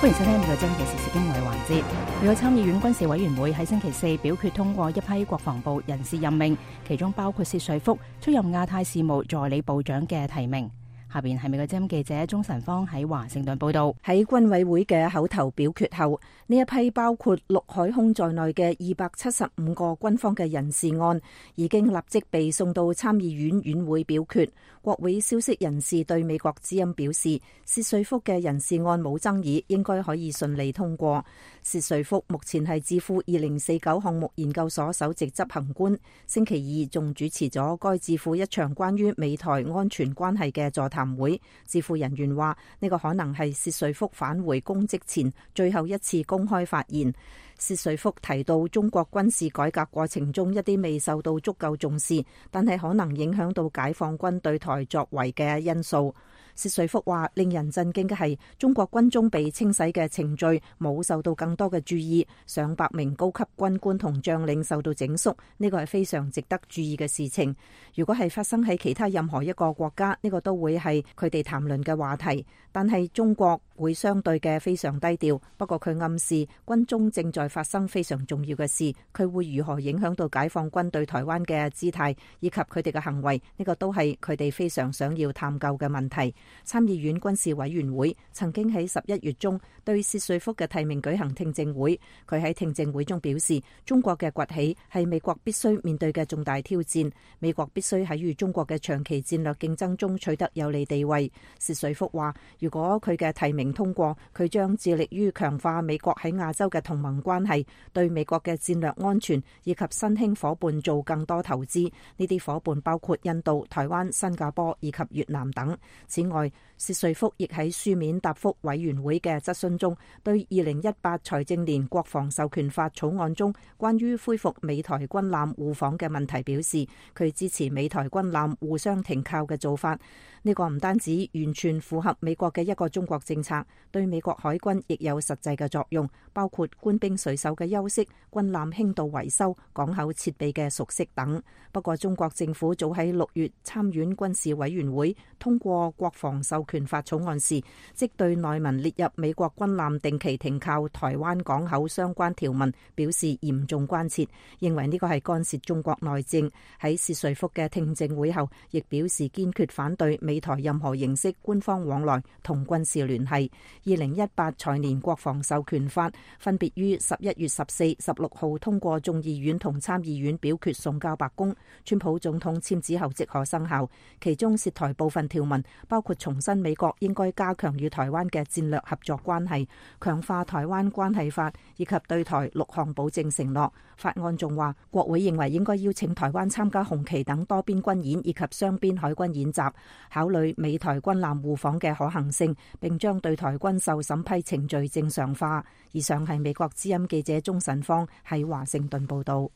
歡迎收聽美國之音嘅時事經緯環節。美國參議院軍事委員會喺星期四表決通過一批國防部人事任命，其中包括薛瑞福出任亞太事務助理部長嘅提名。下邊係美國之音記者鍾晨芳喺華盛頓報道。喺軍委會嘅口頭表決後，呢一批包括陸海空在內嘅二百七十五個軍方嘅人事案，已經立即被送到參議院院會表決。國會消息人士對美國之音表示，薛瑞福嘅人事案冇爭議，應該可以順利通過。薛瑞福目前係智庫二零四九項目研究所首席執行官，星期二仲主持咗該智庫一場關於美台安全關係嘅座談會。智庫人員話，呢個可能係薛瑞福返回公職前最後一次公開發言。薛瑞福提到中國軍事改革過程中一啲未受到足夠重視，但係可能影響到解放軍對台作為嘅因素。薛瑞福話，令人震驚嘅係中國軍中被清洗嘅程序冇受到更多嘅注意，上百名高級軍官同將領受到整肅，呢個係非常值得注意嘅事情。如果係發生喺其他任何一個國家，呢個都會係佢哋談論嘅話題，但係中國會相對嘅非常低調。不過佢暗示軍中正在發生非常重要嘅事，佢會如何影響到解放軍對台灣嘅姿態以及佢哋嘅行為，呢個都係佢哋非常想要探究嘅問題。參議院軍事委員會曾經喺十一月中對薛瑞福嘅提名舉行聽證會，佢喺聽證會中表示，中國嘅崛起係美國必須面對嘅重大挑戰，美國必須喺與中國嘅長期戰略競爭中取得有利地位。薛瑞福話，如果佢嘅提名通過，佢將致力於強化美國喺亞洲嘅同盟關係，對美國嘅戰略安全以及新興夥伴做更多投資，呢啲夥伴包括印度、台灣、新加坡以及越南等。此外，薛瑞福亦喺書面答覆委員會嘅質詢中，對二零一八財政年國防授權法草案中關於恢復美台軍艦互訪嘅問題表示，佢支持美台軍艦互相停靠嘅做法。呢個唔單止完全符合美國嘅一個中國政策，對美國海軍亦有實際嘅作用，包括官兵水手嘅休息、軍艦輕度維修、港口設備嘅熟悉等。不過中國政府早喺六月參院軍事委員會通過國防授權法草案時，即對內文列入美國軍艦定期停靠台灣港口相關條文表示嚴重關切，認為呢個係干涉中國內政。喺薛瑞福嘅聽證會後，亦表示堅決反對美台任何形式官方往來同軍事聯繫。二零一八財年國防授權法分別於十一月十四、十六號通過眾議院同參議院表決送交白宮，川普總統簽字後即可生效。其中涉台部分條文包括重申美國應該加強與台灣嘅戰略合作關係，強化台灣關係法以及對台六項保證承諾。法案仲話，國會認為應該邀請台灣參加紅旗等多邊軍演以及雙邊海軍演習，考慮美台軍艦互訪嘅可行性，並將對台軍售審批程序正常化。以上係美國之音記者鍾晨芳喺華盛頓報道。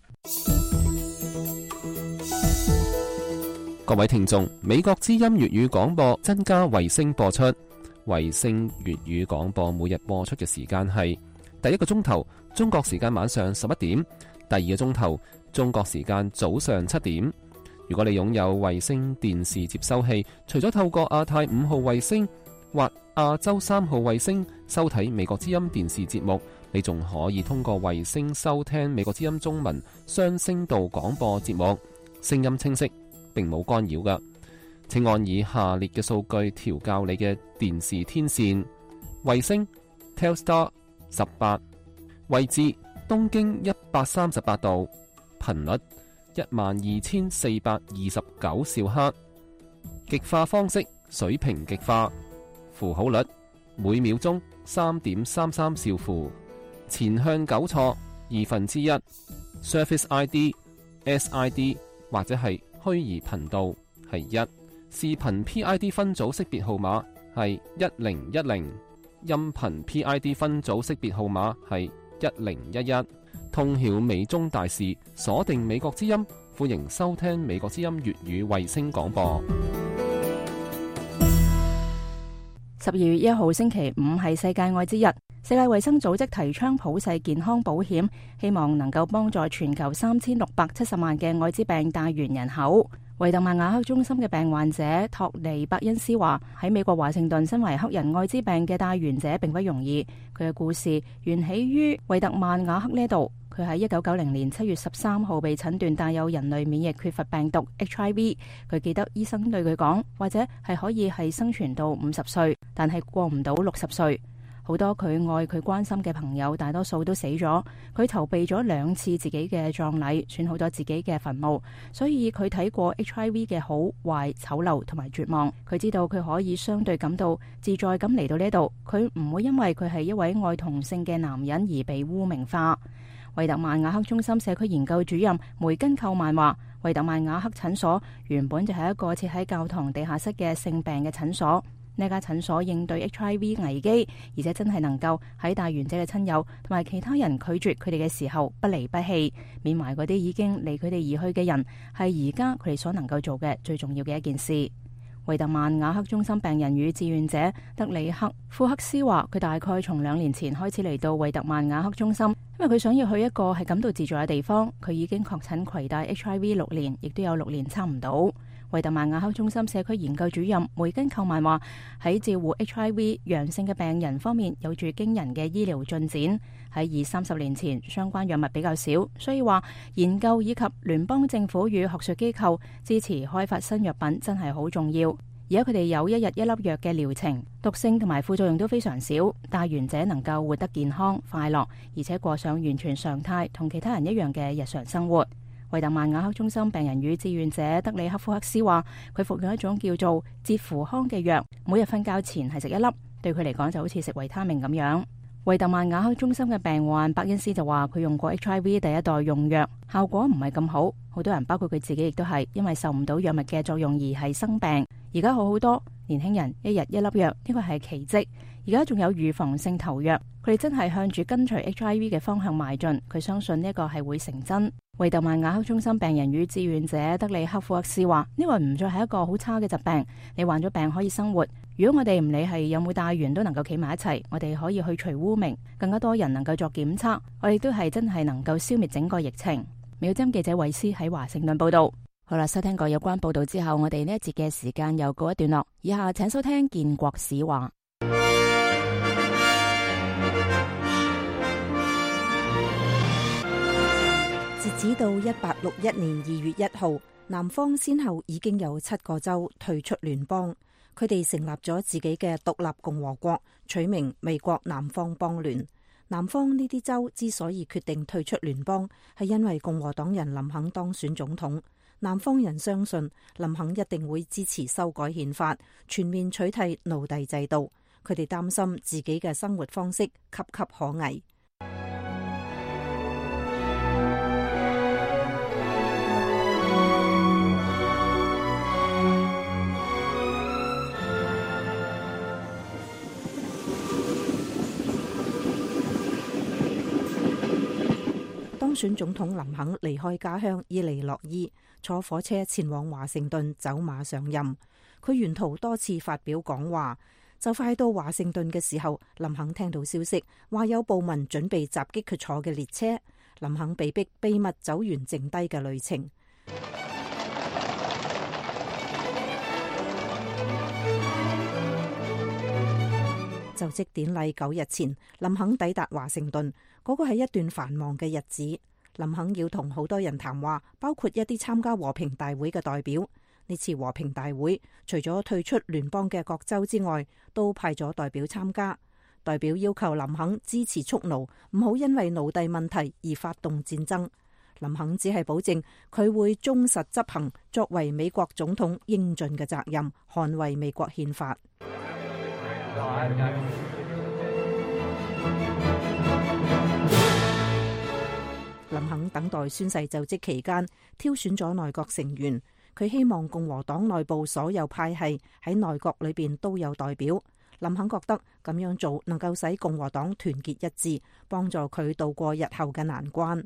各位聽眾，美國之音粵語廣播增加衛星播出，衛星粵語廣播每日播出嘅時間係第一個鐘頭中國時間晚上十一點，第二個鐘頭中國時間早上七點。如果你擁有衛星電視接收器，除咗透過亞太五號衛星或亞洲三號衛星收睇美國之音電視節目，你仲可以通過衛星收聽美國之音中文雙聲道廣播節目，聲音清晰，並冇干擾㗎。請按以下列嘅數據調校你嘅電視天線：衛星 Telstar 十八，位置東經一百三十八度，頻率一萬二千四百二十九兆赫。極化方式水平極化，符號率每秒鐘三點三三兆符，前向糾錯二分之一 ，Surface I D、S I D 或者係虛擬頻道係一，視頻 P I D 分組識別號碼係一零一零，音頻 P I D 分組識別號碼係一零一一。通曉美中大事，鎖定美國之音，歡迎收聽美國之音粵語衛星廣播。十二月一號星期五係世界愛之日，世界衛生組織提倡普世健康保險，希望能夠幫助全球三千六百七十萬嘅愛滋病帶源人口。維特曼雅克中心嘅病患者托尼伯恩斯話：喺美國華盛頓，身為黑人愛滋病嘅帶源者並不容易。佢嘅故事源起於維特曼雅克呢度。佢喺一九九零年七月十三號被診斷帶有人類免疫缺乏病毒 H I V。佢記得醫生對佢講，或者係可以係生存到五十歲，但係過唔到六十歲。好多佢愛佢關心嘅朋友，大多數都死咗。佢籌備咗兩次自己嘅葬禮，選好咗自己嘅墳墓，所以佢睇過 H I V 嘅好壞、醜陋同埋絕望。佢知道佢可以相對感到自在咁嚟到呢度，佢唔會因為佢係一位愛同性嘅男人而被污名化。維特曼雅克中心社區研究主任梅根寇曼話：維特曼雅克診所原本就係一個設喺教堂地下室嘅性病嘅診所。呢家診所應對 H I V 危機，而且真係能夠喺帶源者嘅親友同埋其他人拒絕佢哋嘅時候不離不棄，緬懷嗰啲已經離佢哋而去嘅人，係而家佢哋所能夠做嘅最重要嘅一件事。維特曼雅克中心病人與志願者德里克庫克斯話：佢大概從兩年前開始嚟到維特曼雅克中心，因為佢想要去一個係感到自在嘅地方。佢已經確診攜帶 H I V 六年，亦都有六年差唔到。維特曼雅克中心社區研究主任梅根寇曼話：喺照顧 H I V 陽性嘅病人方面，有住驚人嘅醫療進展。喺二三十年前，相關藥物比較少，所以話研究以及聯邦政府與學術機構支持開發新藥品真係好重要。而家佢哋有一日一粒藥嘅療程，毒性同埋副作用都非常少，帶源者能夠活得健康快樂，而且過上完全常態同其他人一樣嘅日常生活。維特曼雅克中心病人與志願者德里克庫克斯話：佢服用一種叫做捷扶康嘅藥，每日瞓覺前係食一粒，對佢嚟講就好似食維他命咁樣。維特曼雅克中心嘅病患伯恩斯就話：佢用過 H I V 第一代用藥，效果唔係咁好，好多人包括佢自己亦都係因為受唔到藥物嘅作用而係生病。而家好好多，年輕人一日一粒藥，呢個係奇蹟。而家仲有預防性投藥，佢哋真係向住跟隨 H I V 嘅方向邁進。佢相信呢個係會成真。維特曼雅克中心病人與志願者德里克庫克斯話：呢個唔再係一個好差嘅疾病，你患咗病可以生活。如果我哋唔理係有冇帶源都能夠企埋一齊，我哋可以去除污名，更加多人能夠作檢測，我哋都係真係能夠消滅整個疫情。美國之音記者韋斯喺華盛頓報道。好啦，收聽過有關報道之後，我哋呢一節嘅時間又告一段落。以下請收聽建國史話。截止到一八六一年二月一號，南方先後已經有七個州退出聯邦，佢哋成立咗自己嘅獨立共和國，取名美國南方邦聯。南方呢啲州之所以決定退出聯邦，係因為共和黨人林肯當選總統。南方人相信林肯一定會支持修改憲法，全面取締奴隸制度。佢哋擔心自己嘅生活方式岌岌可危。當選總統林肯離開家鄉伊利諾伊，坐火車前往華盛頓走馬上任。佢沿途多次發表講話，就快到華盛頓嘅時候，林肯聽到消息話有暴民準備襲擊佢坐嘅列車，林肯被逼秘密走完剩低嘅旅程。就職典禮九日前，林肯抵達華盛頓，嗰個係一段繁忙嘅日子。林肯要同好多人談話，包括一啲參加和平大會嘅代表。呢次和平大會除咗退出聯邦嘅各州之外，都派咗代表參加。代表要求林肯支持蓄奴，唔好因為奴隸問題而發動戰爭。林肯只係保證佢會忠實執行作為美國總統應盡嘅責任，捍衛美國憲法。林肯等待宣誓就職期間，挑選咗內閣成員。佢希望共和黨內部所有派系喺內閣裏邊都有代表。林肯覺得咁樣做能夠使共和黨團結一致，幫助佢度過日後嘅難關。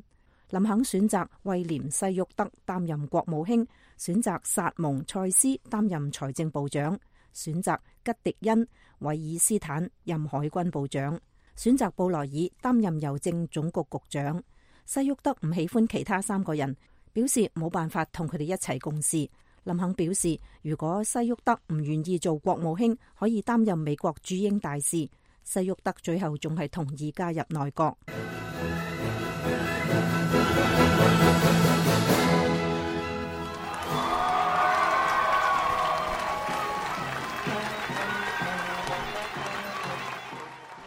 林肯選擇威廉西沃德擔任國務卿，選擇薩蒙塞斯擔任財政部長，選擇吉迪恩韋爾斯坦任海軍部長，選擇布萊爾擔任郵政總局局長。西沃德唔喜歡其他三個人，表示冇辦法同佢哋一齊共事。林肯表示，如果西沃德唔願意做國務卿，可以擔任美國駐英大使。西沃德最後仲係同意加入內閣。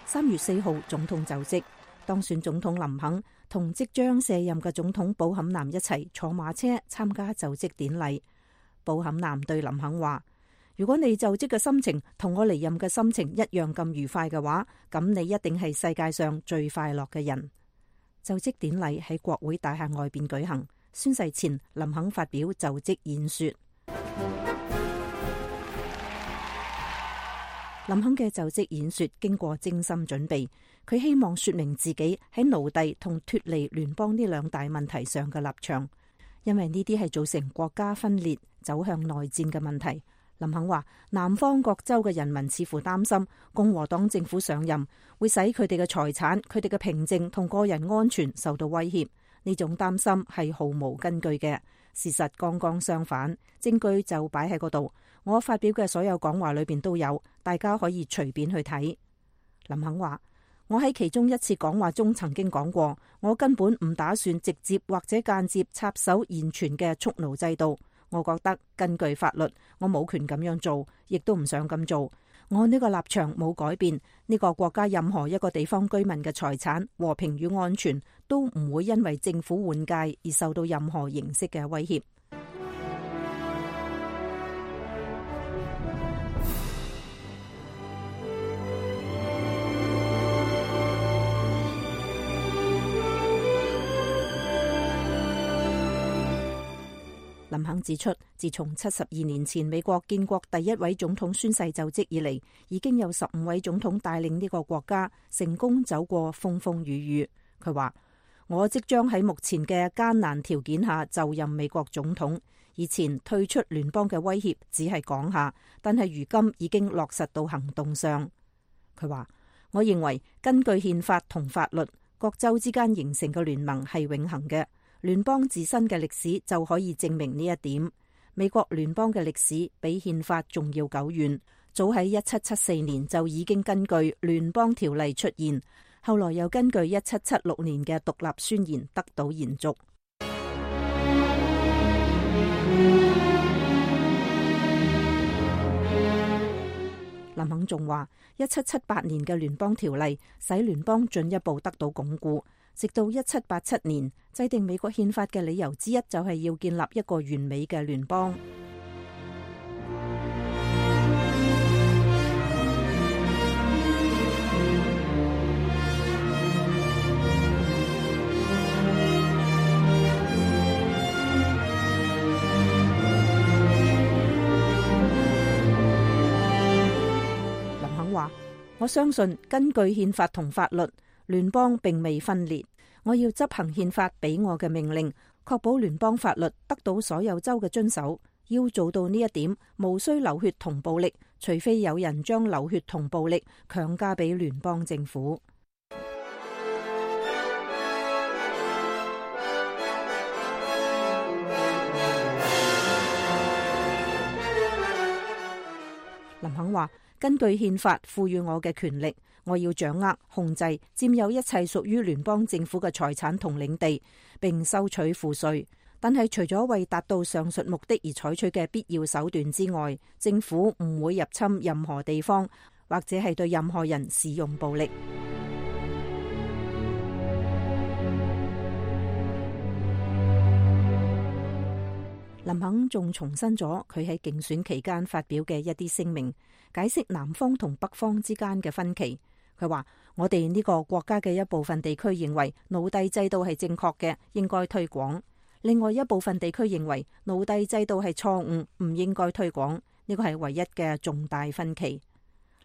三月四號，總統就職，當選總統林肯同即將卸任嘅總統布坎南一齊坐馬車參加就職典禮。布坎南對林肯話：如果你就職嘅心情同我離任嘅心情一樣咁愉快嘅話，咁你一定係世界上最快樂嘅人。就職典禮喺國會大廈外邊舉行，宣誓前林肯發表就職演說。林肯嘅就職演說經過精心準備，佢希望說明自己喺奴隸同脫離聯邦呢兩大問題上嘅立場，因為呢啲係造成國家分裂、走向內戰嘅問題。林肯話，南方各州嘅人民似乎擔心共和黨政府上任會使佢哋嘅財產、佢哋嘅平靜同個人安全受到威脅。呢種擔心係毫無根據嘅，事實剛剛相反，證據就擺喺嗰度。我發表嘅所有講話裏邊都有，大家可以隨便去睇。林肯話，我喺其中一次講話中曾經講過，我根本唔打算直接或者間接插手現存嘅蓄奴制度。我覺得根據法律，我冇權咁樣做，亦都唔想咁做。我呢個立場冇改變，呢個國家任何一個地方居民嘅財產、和平與安全都唔會因為政府換屆而受到任何形式嘅威脅。林肯指出，自從七十二年前美國建國第一位總統宣誓就職以嚟，已經有十五位總統帶領呢個國家成功走過風風雨雨。佢話：我即將喺目前嘅艱難條件下就任美國總統。以前退出聯邦嘅威脅只係講下，但係如今已經落實到行動上。佢話：我認為根據憲法同法律，各州之間形成嘅聯盟係永恆嘅。聯邦自身嘅歷史就可以證明呢一點。美國聯邦嘅歷史比憲法仲要久遠，早喺一七七四年就已經根據聯邦條例出現，後來又根據一七七六年嘅獨立宣言得到延續。林肯仲話，一七七八年嘅聯邦條例使聯邦進一步得到鞏固。直到一七八七年，制定美國憲法嘅理由之一就係要建立一個完美嘅聯邦。林肯話：我相信根據憲法同法律，聯邦並未分裂，我要執行憲法俾我嘅命令，確保聯邦法律得到所有州嘅遵守。要做到呢一點，無需流血同暴力，除非有人將流血同暴力強加俾聯邦政府。林肯話：根據憲法賦予我嘅權力，我要掌握、控制、佔有一切屬於聯邦政府嘅財產同領地，並收取賦稅。但係除咗為達到上述目的而採取嘅必要手段之外，政府唔會入侵任何地方，或者係對任何人使用暴力。林肯仲重申咗佢喺競選期間發表嘅一啲聲明，解釋南方同北方之間嘅分歧。佢話：我哋呢個國家嘅一部分地區認為奴隸制度係正確嘅，應該推廣；另外一部分地區認為奴隸制度係錯誤，唔應該推廣。呢個係唯一嘅重大分歧。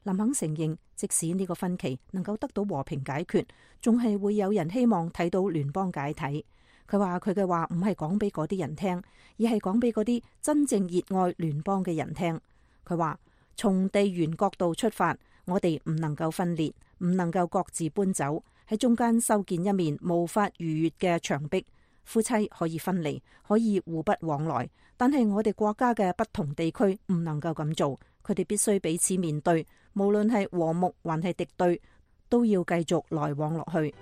林肯承認，即使呢個分歧能夠得到和平解決，仲係會有人希望睇到聯邦解體。佢話佢嘅話唔係講俾嗰啲人聽，而係講俾嗰啲真正熱愛聯邦嘅人聽。佢話從地緣角度出發，我哋唔能夠分裂，唔能夠各自搬走，喺中間修建一面無法逾越嘅牆壁。夫妻可以分離，可以互不往來，但係我哋國家嘅不同地區唔能夠咁做，佢哋必須彼此面對，無論係和睦還係敵對，都要繼續來往落去。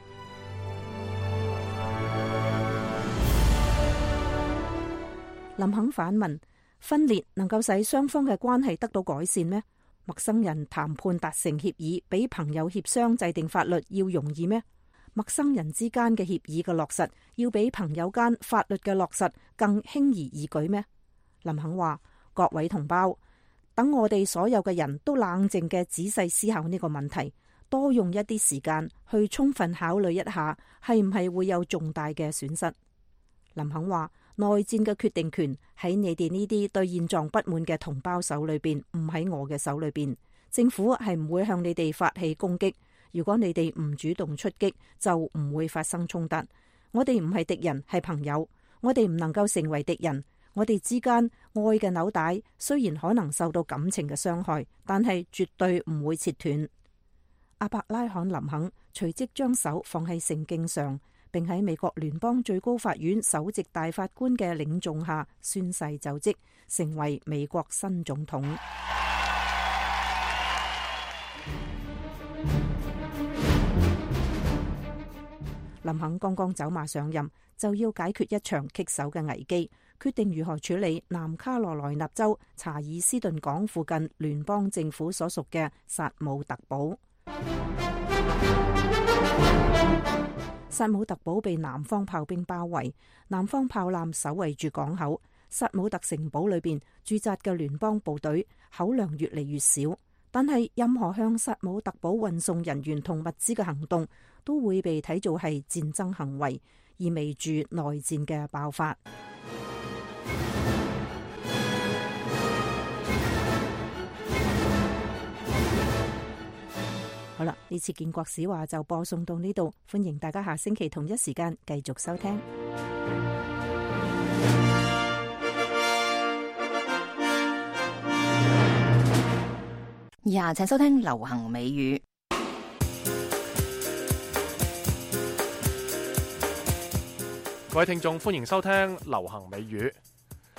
林肯反問：分裂能夠使雙方嘅關係得到改善咩？陌生人談判達成協議，比朋友協商制定法律要容易咩？陌生人之間嘅協議嘅落實，要比朋友間法律嘅落實更輕而易舉咩？林肯話：各位同胞，等我哋所有嘅人都冷靜嘅仔細思考呢個問題，多用一啲時間去充分考慮一下，係唔係會有重大嘅損失？林肯話：內戰嘅決定權喺你哋呢啲對現狀不滿嘅同胞手裏邊，唔喺我嘅手裏邊。政府係唔會向你哋發起攻擊。如果你哋唔主動出擊，就唔會發生衝突。我哋唔係敵人，係朋友。我哋唔能夠成為敵人。我哋之間愛嘅紐帶雖然可能受到感情嘅傷害，但係絕對唔會切斷。阿伯拉罕林肯隨即將手放喺聖經上，並喺美國聯邦最高法院首席大法官嘅領眾下宣誓就職，成為美國新總統。林肯剛剛走馬上任，就要解決一場棘手嘅危機，決定如何處理南卡羅來納州查爾斯頓港附近聯邦政府所屬嘅薩姆特堡。薩姆特堡被南方炮兵包圍，南方炮艦守衛住港口。薩姆特城堡裏邊駐紮嘅聯邦部隊口糧越嚟越少，但係任何向薩姆特堡運送人員同物資嘅行動都會被睇做係戰爭行為，意味住內戰嘅爆發。好啦，呢次建國史話就播送到呢度，歡迎大家下星期同一時間繼續收聽。以下請收聽流行美語。各位聽眾，歡迎收聽流行美語。呢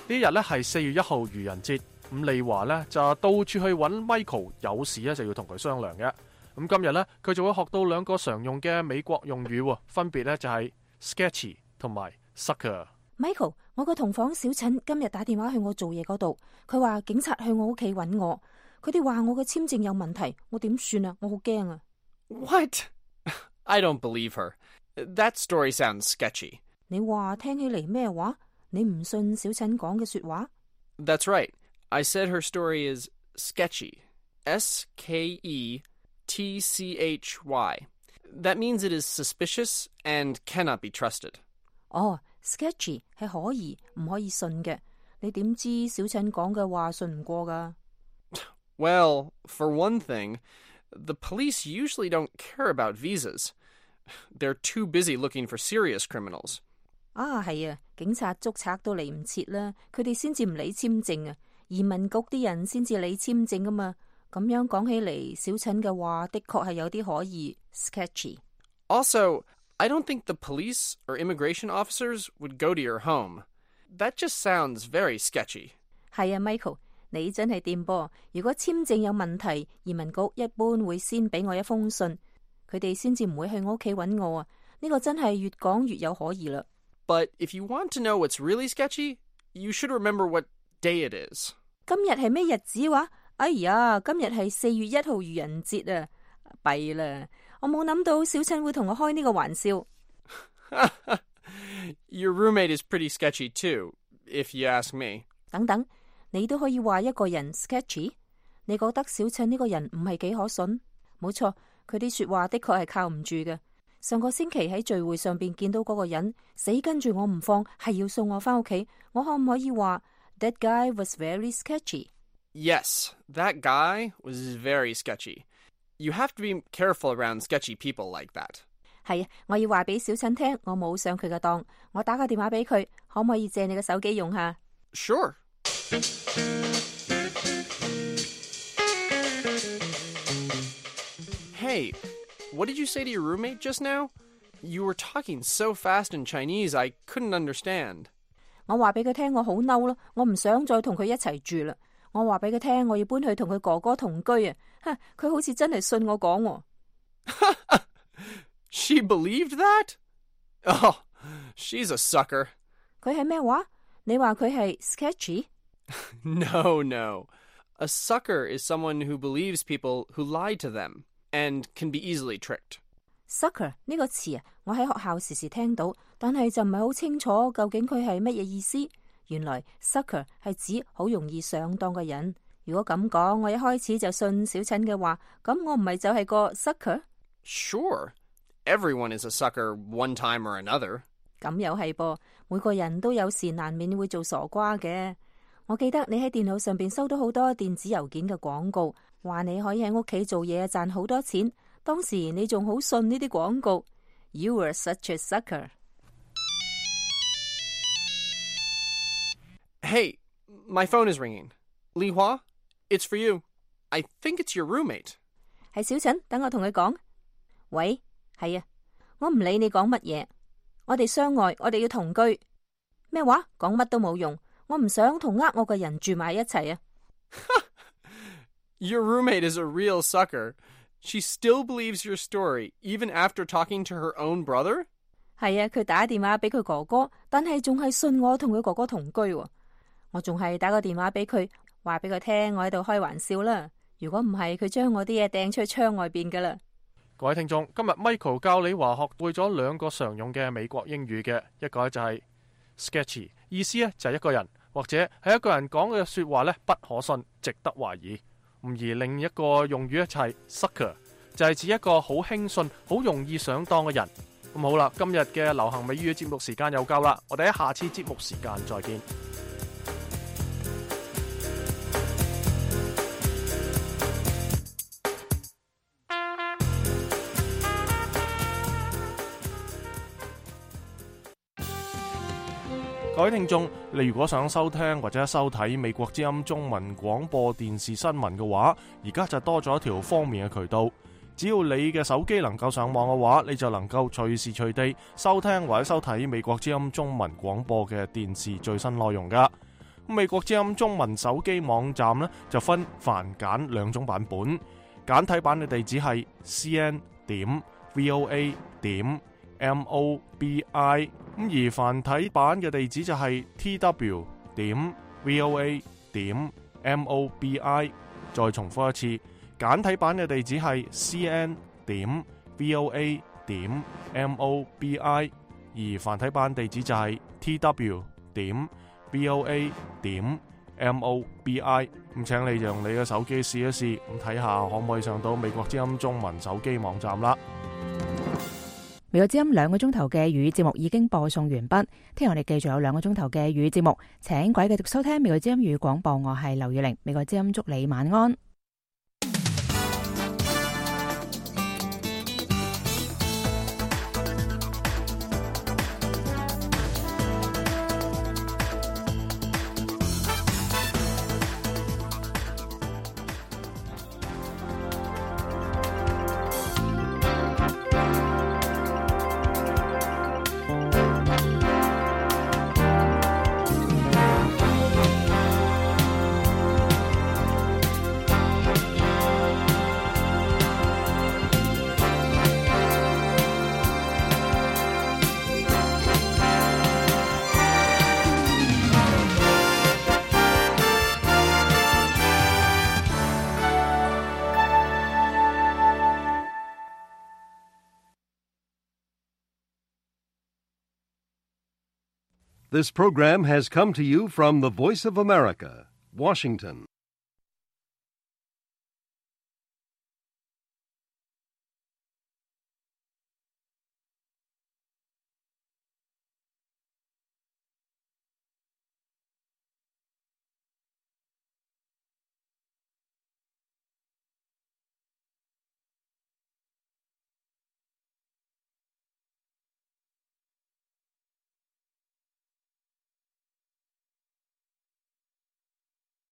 日咧係四月一號愚人節，咁利華咧就到處去揾 Michael， 有事咧就要同佢商量嘅。咁今日咧佢就會學到兩個常用嘅美國用語，分別咧就係 sketchy 同埋 sucker。Michael， 我個同房小陳今日打電話去我做嘢嗰度，佢話警察去我屋企揾我，佢哋話我嘅簽證有問題，我點算啊？我好驚啊 ！What? I don't believe her. That story sounds sketchy. 你話聽起嚟咩話？你唔信小陳講嘅說話 ？That's right. I said her story is sketchy. S K E T C H Y. That means it is suspicious and cannot be trusted. 哦 sketchy 係可疑唔可以信嘅。你點知小陳講嘅話信唔過㗎？ Well, for one thing, the police usually don't care about visas. They're too busy looking for serious criminals. 啊，係啊，警察捉賊都嚟唔切啦，佢哋先至唔理簽證啊，移民局啲人先至理簽證啊嘛。咁樣講起嚟，小陳嘅話的確係有啲可疑 sketchy。 Also, I don't think the police or immigration officers would go to your home. That just sounds very sketchy. 係啊 ，Michael， 你真係掂噃。如果簽證有問題，移民局一般會先俾我一封信，佢哋先至唔會去我屋企揾我啊。呢個真係越講越有可疑啦。But if you want to know what's really sketchy, you should remember what day it is. 今日係咩日子話？哎呀，今日係四月一號愚人節啊！弊啦，我冇諗到小陳會同我開呢個玩笑。Your roommate is pretty sketchy too. if you ask me. 等等，你都可以話一個人 sketchy。你覺得小陳呢個人唔係幾可信？冇錯，佢啲說話的確係靠唔住嘅。上個星期喺聚會上邊見到嗰個人死跟住我唔放，係要送我翻屋企。我可唔可以話 That guy was very sketchy? Yes, that guy was very sketchy. You have to be careful around sketchy people like that. 係啊，我要話俾小陳聽，我冇上佢嘅當，我打個電話俾佢，可唔可以借你嘅手機用下？ Sure. Hey, what did you say to your roommate just now? You were talking so fast in Chinese, I couldn't understand. 我話俾佢聽，我好嬲咯，我唔想再同佢一齊住啦。我話俾佢聽，我要搬去同佢哥哥同居啊！哈，佢好似真係信我講喎。She believed that? Oh, she's a sucker. 佢係咩話？你話佢係 sketchy? No, no. A sucker is someone who believes people who lie to them and can be easily tricked. Sucker 呢個詞啊，我喺學校時時聽到，但係就唔係好清楚究竟佢係乜嘢意思。原來 sucker 係指好容易上當嘅人。如果咁講，我一開始就信小陳嘅話，咁我唔係就係個 sucker？ Sure. Everyone is a sucker one time or another. 咁又係噃，每個人都有時難免會做傻瓜嘅。我記得你喺電腦上邊收到好多電子郵件嘅廣告，話你可以喺屋企做嘢賺好多錢。當時你仲好信呢啲廣告。You were such a sucker. Hey, my phone is ringing. Li Hua, it's for you. I think it's your roommate. 係小陳，等我同佢講。喂，係啊，我唔理你講乜嘢。我哋相愛，我哋要同居。咩話？講乜都冇用。我唔想同呃我嘅人住埋一齊啊。Your roommate is a real sucker. She still believes your story, even after talking to her own brother? 係啊，佢打電話俾佢哥哥，但係仲係信我同佢哥哥同居喎。我仲係打個電話俾佢，話俾佢聽我喺度開玩笑啦。如果唔係，佢將我啲嘢掟出去窗外邊噶啦。各位聽眾，今日 Michael 教你話學會咗兩個常用嘅美國英語嘅，一個就係 sketchy， 意思咧就係一個人或者係一個人講嘅說話咧不可信，值得懷疑。而另一個用語咧就係 sucker， 就係指一個好輕信、好容易上當嘅人。咁好啦，今日嘅流行美語節目時間又夠啦，我哋喺下次節目時間再見。各位聽眾，你如果想收聽或者收睇美國之音中文廣播電視新聞嘅話，而家就多咗一條方便嘅渠道。只要你嘅手機能夠上網嘅話，你就能夠隨時隨地收聽或者收睇美國之音中文廣播嘅電視最新內容噶。美國之音中文手機網站呢，就分繁簡兩種版本，簡體版嘅地址係 c n 點 v o a 點 m o b i。咁而繁體版嘅地址就係 t w 點 v o a 點 m o b i。再重複一次，簡體版嘅地址係 c n 點 v o a 點 m o b i， 而繁體版地址就係 t w 點 v o a 點 m o b i。咁請你用你嘅手機試一試，咁睇下可唔可以上到美國之音中文手機網站啦。美國之音兩個鐘頭嘅粵語節目已經播送完畢，聽日我哋繼續有兩個鐘頭嘅粵語節目，請各位繼續收聽美國之音粵語廣播，我係劉月玲，美國之音祝你晚安。This program has come to you from the Voice of America, Washington.